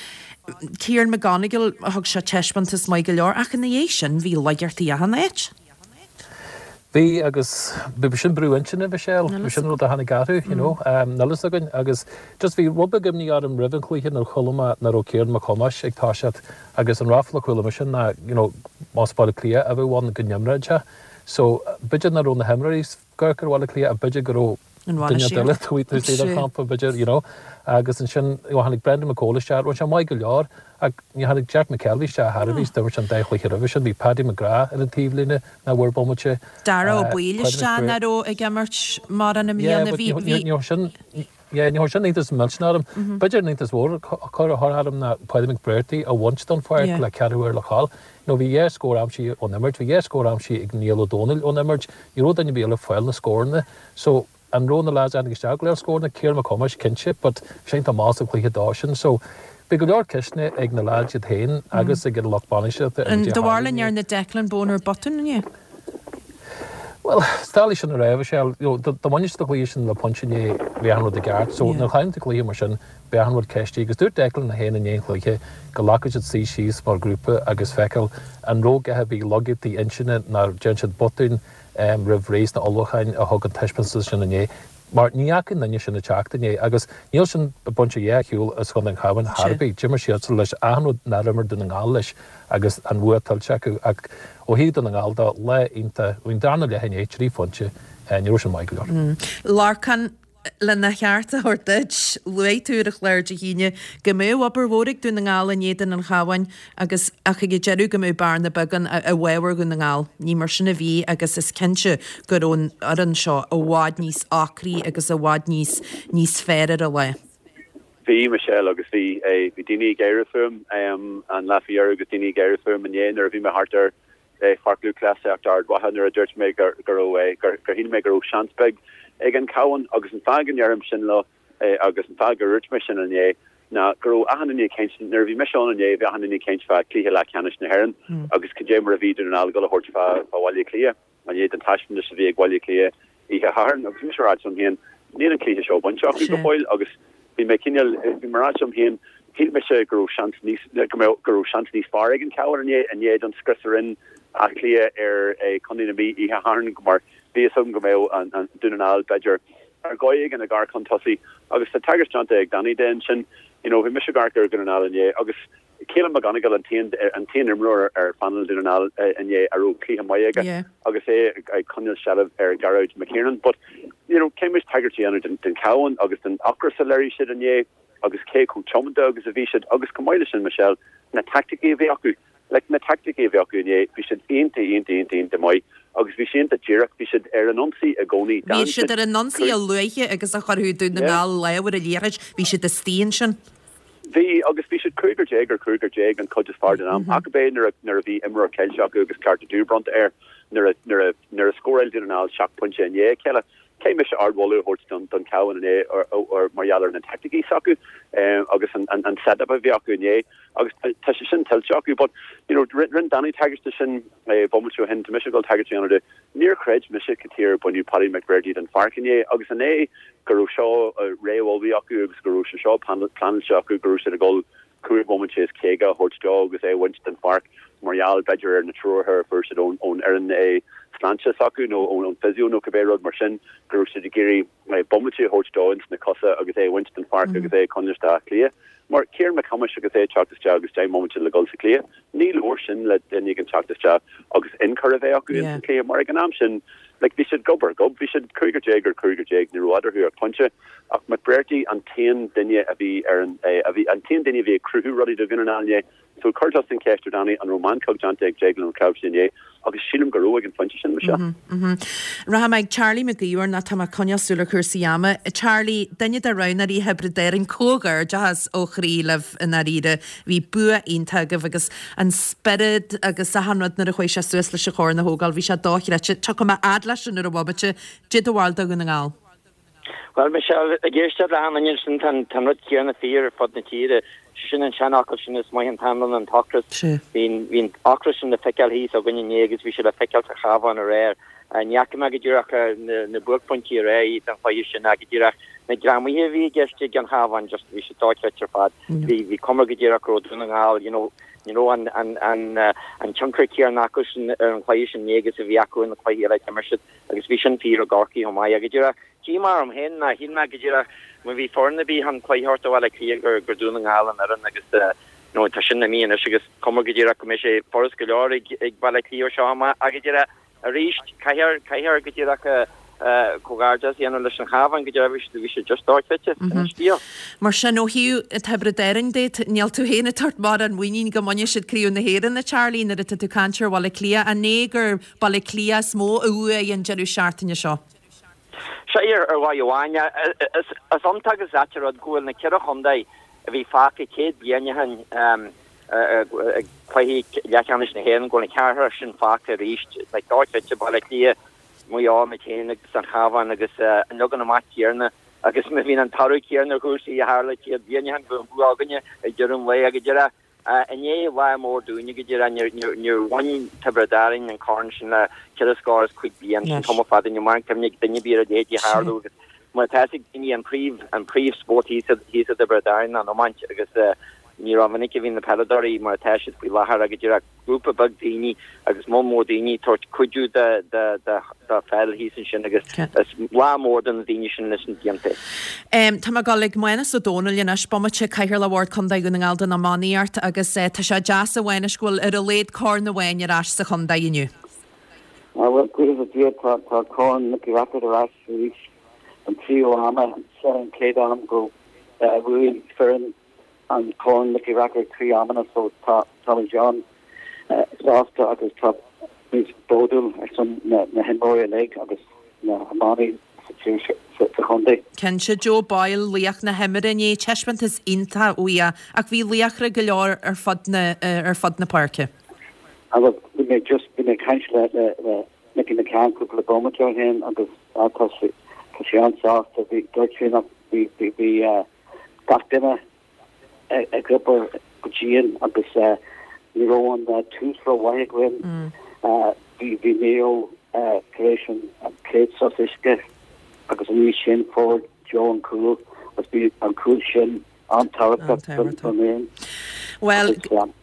Kieran McGonigle, thug sé taispeántas maith go leor ach ina dhiaidh sin bhí laigeachtaí achan áit. Bhí agus bhí sin brú intinne, Michelle, bhí sin rud a tháinig orthu, you know, níl fhios againn agus just bhí rud beag imní orm roimh an chluiche nuair a chuala mé nach raibh Ciarán Mac Thomáis ag toiseacht agus an ráfla a chuala mise ná, you know, más Baile Átha Cliath a bheadh ann go n-imreodh sé. So b'fhéidir nach raibh na himreoirí ag amharc ar Bhaile Átha Cliath ach b'fhéidir go raibh duine eile taobh istigh den champa, b'fhéidir, you know. Agus ansin, you know, tháinig Brendan McCole isteach, rinne sé maith go leor, ach ní tháinig Jack McKelvey isteach ar bith, d'imir sé an dá chluiche roimhe sin, bhí Paddy McGrath ar an taobhlíne nach bhfuair bomaite. Dara Ó Baoill isteach nach raibh ag imirt mórán i mbliana, bhí, bhí. Yeah, but ní raibh sin, yeah, ní raibh sin iontas millteanach orm. B'fhéidir an iontas mhór a chuir orm ná Paddy McBrearty a bhaint den pháirc le ceathrú uair le dhul. Nó bhí dhá scór aimsithe ón imirt, bhí dhá scór aimsithe ag Niall Ó Dónaill ón imirt, ní raibh duine ar bith eile ag fáil na scóranna. So, an raibh na lads a tháinig isteach ag dul le scóranna? Ciarán Mac Thomáis, cinnte, but bhí sé iontach mall sa chluiche dó sin. So, bhí go leor ceisteanna ag na lads iad féin agus ag an lucht bainistíochta ar Do bharúil an ndearna Declan Bonner botún inné? Bhuel, is doiligh sin a rá, Michelle. You know, dá mbainfeadh siad an cluiche sin le pointe inné, bhí achan rud i gceart. So, nuair a chailleann tú cluiche mar sin, beidh achan rud ceistithe. Agus dúirt Declan é féin i ndiaidh an chluiche go nglacfadh siad suí síos mar ghrúpa agus feiceáil an raibh a dhath ar bith laigeachtaí intinne nó an ndearna siad botún roimh ré sna ullmhúcháin a thug an taispeántas sin inné. Mar ní fhaca aon duine sin ag teacht inné agus níl sin ag baint a dhath ar shiúl as Chontae an Chabháin chor ar bith. D'imir siadsan leis achan rud nár imir Dún na nGall leis agus an bhua tuillte acu. Ach ó thaobh Dún na nGall de, lá iontach, bhí an darna leath inné, trí phointe, ní raibh sin maith go leor. Lorcán, lena cheart a thabhairt duit, luaigh tú ar an chlár Dé hAoine go mbeadh obair mhór ag Dún na nGall in éadan an Chabháin agus ach ag an deireadh go mbeadh bearna beag ann i bhfabhar Dhún na nGall. Ní mar sin a bhí agus is cinnte go raibh an fhoireann seo i bhfad níos ocraí agus i bhfad níos níos fearr ar an lá. Bhí, Michelle, agus bhí, bhí daoine ag gáire fúm an lá faoi dheireadh agus daoine ag gáire fúm inné nuair a bhí mé thart ar Pháirc Lúthchleasaíochta Ard Mhacha nuair a dúirt mé go raibh, gur shíl mé go raibh seans beag ag an Chabhán agus an fáth go ndeirim sin leo agus an fáth gur dhúirt mé sin inné ná go raibh achan duine ag caint, nuair a bhí mise ann inné bhí achan duine ag caint fá chluiche leathcheannais na hÉireann agus cad é mar a bhí Dún na nGall ag dul a thabhairt fá Bhaile Átha Cliath i ndiaidh den taispeántas a bhí ag Baile Átha Cliath oíche Shathairn agus bhí mise ag rá liom féin níl an cluiche seo bainte acu go fóill agus bhí mé cineál, bhí mé ag rá liom féin, shíl mise go raibh seans níos, go mbeadh, go raibh seans níos fearr ag an Chabhán inné, i ndiaidh don scrios a rinne Áth Cliath ar Chontae na Mí oíche Shathairn mar bhí fhios agam go mbeadh an, an Dún na nGall b'fhéidir ar dhóigh éigin ag amharc chun tosaigh agus tá tagairt déanta ag Danny de ansin, you know, bhí mise ag amharc ar Dhún na nGall inné agus Caolan McGonagle an t-aon an t-aon imreoir ar phainéal Dhún na nGall inné a raibh cluiche maith aige agus é ag coinneáil seilbh ar Gearóid McKiernan. But you know caithfidh muid tagairt a dhéanamh den den Chabhán agus den ocras a léirigh siad inné agus cé chomh tiomanta agus a bhí siad agus chomh maith leis sin Michelle na taicticí a bhí acu. Like na taicticí a bhí acu inné bhí siad iontach iontach iontach iontach maith agus bhí siad iontach díreach bhí siad ar an ionsaí i gcónaí. Bhí siad ar an ionsaí a luaithe agus a chuirfeadh Dún na nGall lámh ar an liathróid bhí siad istigh ansin. Bhí, agus bhí siad cúigear déag ar chúigear déag an chuid is fearr den am, ach ab é nuair a, nuair a bhí imreoir caillte acu agus cárta dubh bronnta air, nuair a, nuair a, nuair a scóráil Dún na nGall seacht bpointe i ndiaidh a chéile. Caithfidh mise ardmholadh a thabhairt don, don Chabhán inné ar, ar, mar gheall ar na taicticí s'acu agus an, an, an set-up a bhí acu inné agus tá, tá sé sin tuillte acu. But, you know, rinn, rinn Danny tagairt de sin bomaite ó shin, tá mise ag dul tagairt a dhéanamh de. Níor chreid mise cad chuige ar baineadh Paddy McBrearty den pháirc inné agus an é go raibh seo réamh-ullmhaithe acu agus go raibh sé seo pleanáilte acu go raibh siad ag dul cúig bhomaite is 50 a thabhairt dó agus é a bhaint den pháirc mar gheall b'fhéidir ar na treoracha a fuair siad ón fhoireann sláinte s'acu nó ón physio nó cibé rud mar sin go raibh siad ag iarraidh bomaite a thabhairt dó ins na cosa agus é a bhaint den pháirc agus é a choinneáil isteach Áth Cliath. Mar Ciarán Mac Thomáis agus é ag teacht isteach agus 10 mbomaite le dhul sa chluiche, ní leor sin le duine éigin teacht isteach agus ionchur a bheith acu ins an chluiche mar ag an am sin like bhí siad gob ar ghob, bhí siad cúigear déag ar chúigear déag, ní raibh eadarthu ach pointe. Ach McBrearty an t-aon duine a bhí ar an, a bhí, an t-aon duine a bhí ag cruthú rudaí do Dhún na nGall inné. So chuir tusa an cheist ar Danny an raibh meancóg déanta ag Déaglán Ó Clabhsúin inné agus sílim go raibh ag an phointe sin, Michelle. Rachaidh mé ag Charlie Mac Íomhair nó tá mé ag coinneáil súil ar chúrsaí ama. Charlie, duine de roghnóirí Thiobraid Árann, comhghairdeachas ó chroí libh i ndáiríre. Bhí bua iontach agaibh agus an spiorad agus achan rud nuair a chuaigh sé suas leis an chorn a thógáil, bhí sé dochreidte. Tiocfaidh mé fhad leis sin ar an bhomaite. Cad é do bharúil do Dhún na nGall. Bhuel, Michelle, ag éisteacht le achan duine ansin, tá an rud céanna fíor ar fud na tíre. Sé sin an seanfhocal sin, is maith an t-anlann an t-ocras. Bhí an ocras sin le feiceáil thíos againn inné agus bhí sé le feiceáil sa Chabhán aréir. Ní fhaca mé go díreach na buaicphointí aréir den chluiche sin ach go díreach na greamaithe a bhí i gceist ag an Chabhán, just bhí sé dochreidte ar fad. Bhí cuma go díreach go raibh Dún na nGall, you know, ní raibh an tionchar céanna acu sin ar an chluiche sin inné agus a bhí acu ar na cluichí eile a d'imir siad. Agus bhí sin fíor i gCorcaigh chomh maith. Go díreach, díomá orm féin ná shíl mé go díreach má bhí foireann ar bith chun cluiche a thabhairt do Bhaile Átha Cliath gur gur Dún na nGall an fhoireann agus you know tá sin imithe anois agus cuma go díreach go mbeidh sé furast go leor ag ag Baile Átha Cliath ó seo amach ach go díreach arís caithfear caithfear go díreach comhghairdeas a dhéanamh leis an Chabhán go díreach bhí siad bhí siad just dochreidte sin an scéal. Mar sin ó thaobh Tiobraid Árann de níl tú féin ag tabhairt mórán muinín go mbainfidh siad Craobh na hÉireann a Charlie nuair atá tú ag caint ar Bhaile Átha Cliath an é gur Baile Átha Cliath is mó a bhuaigh an deireadh seachtaine seo. Sea, ar dhóigh amháin. Is iontach agus ait an rud go bhfuil na ceithre chontae a bhí fágtha 100 bliain ó shin ag cluichí leathcheannais na hÉireann, go bhfuil an ceathrar sin fágtha arís. Like, dochreidte, Baile Átha Cliath, Maigh Eo, muid féin agus an Chabhán agus an leagan amach céanna agus má bhíonn an toradh céanna ar chúrsaí a tharla 100 bliain ó shin, bheadh an bua againne ag deireadh an lae. Ach go Inné lá mór dúinne go díreach, níor bhain Tiobraid Árann an corn sin le ceithre scór is cuig bliain, sin tamall fada, níl mórán cuimhne ag duine ar bith ar a leithéid a tharlú agus mar atá fhios ag daoine an príomh an príomh spórt thíos i dTiobraid Árann ná an iomáint agus ní rómhinic a bhíonn na peileadóirí mar atá siad faoi láthair ach go díreach grúpa beag daoine agus moll mór daoine ag tabhairt cuidiú do pheil thíos ansin agus is lá mór do na daoine sin leis an gcontae. Tá mé ag dul ag Mánus Ó Domhnaill anois, bomaite, Cathaoirleach Bhord Contae Dhún na nGall don iománaíocht agus tá sé deas a Mhánais go bhfuil ar a laghad corn amháin ar ais sa chontae inniu. Bhuel, buíochas le Dia tá Corn Nicky Rackard ar ais arís an tríú am, seo an chéad am go bhuaigh foireann an Corn Nicky Rackard 3 amanna so tá táimid an-sásta agus tá muid bródúil ar son na na himreoirí uilig agus na hiománaí sa tír sa chontae. Cinnte, Joe Boyle, laoch na himeartha inné, taispeántas iontach uaidh ach bhí laochra go leor ar fud na ar fud na páirce. Bhuel bhí mé just bhí mé ag caint le le le Mickey McCann cúpla bomaite ó shin agus tá sé tá sé an-sásta bhí dúirt sé nach bhí bhí bhí gach duine ag obair go dian agus ní raibh an tús rómhaith againn. Bhí Maigh Eo tar éis an chéad sos uisce agus an oíche sin fuair Joe an cúl agus bhí an cúl sin an-tábhachtach don fhoireann. Bhuel,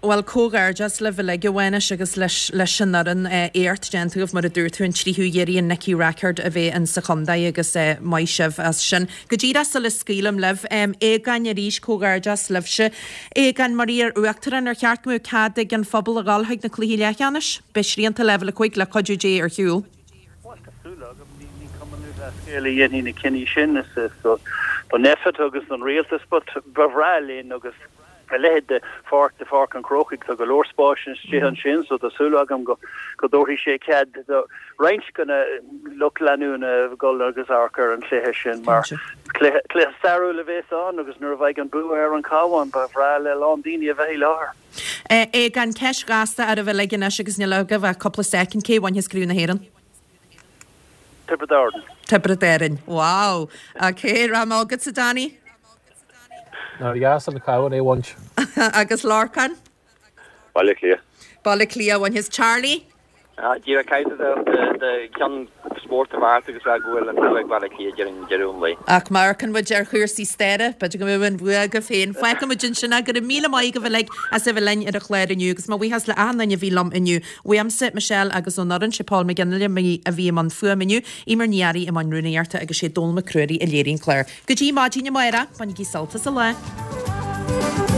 bhuel, comhghairdeas libh uilig, a Mhánais, agus leis, leis an fhoireann. Éacht déanta agaibh, mar a dúirt tú, an tríú hiarraidh an Nicky Rackard a bheith in sa chontae agus maith sibh as sin. Go díreach sula scaoilim libh, Aogán arís, comhghairdeas libhse. Aogán, mar iar-uachtarán, ar cheart go mbeadh cead ag an phobal a dhul chuig na cluichí leathcheannais? Beidh srianta leibhéal 5 le cuidiú Dé ar shiúl. Bhuel, tá súil agam. Ní Cumann Lúthchleas Gael a dhéanfaidh na cinní sin. Is don Nphet agus don rialtas but ba bhreá linn agus a leithéid de pháirc de Pháirc an Chrócaigh, tá go leor spáis istigh ansin so tá súil agam go dtabharfaidh sé cead do roinnt de na lucht leanúna dhul agus amharc ar an chluiche sin mar cluiche cluiche stairiúil a bhéas ann agus nuair a bheidh an bua ar an Chabhán ba bhreá le a lán daoine a bheith i láthair. Aogán, ceist ghasta oraibh uilig anois agus níl agaibh ach cúpla soicind, cé a bhainfeas Craobh na hÉireann? Tiobraid Árann. Tiobraid Árann. Wow! Ok, rachaidh mé chugatsa Danny. Nár dheas an Cabhán é a bhaint. Agus Lorcán? Baile Átha Cliath. Baile Átha Cliath a bhainfeas. Charlie? Díreach caithfidh do cheann spórt a bheart agus rá go bhfuil an bua ag Baile Átha Cliath deireadh an lae. Ach má amharcann muid ar chúrsaí staire, b'fhéidir go mbeadh an bhua agaibh féin. Fágfaidh muid ansin é. Go raibh míle maith agaibh uilig as a bheith linn ar an chlár inniu agus mo bhuíochas le achan duine a bhí liom inniu. Uaimse, Michelle agus ón fhoireann, sé Paul McGinley a bhí i mbun fuaime inniu, Eimear Ní Fhearraigh i mbun rúnaíochta agus sé Dónal Mac Ruairí a léirigh an clár. Go dtí maidin amárach, bainigí sult as an lá.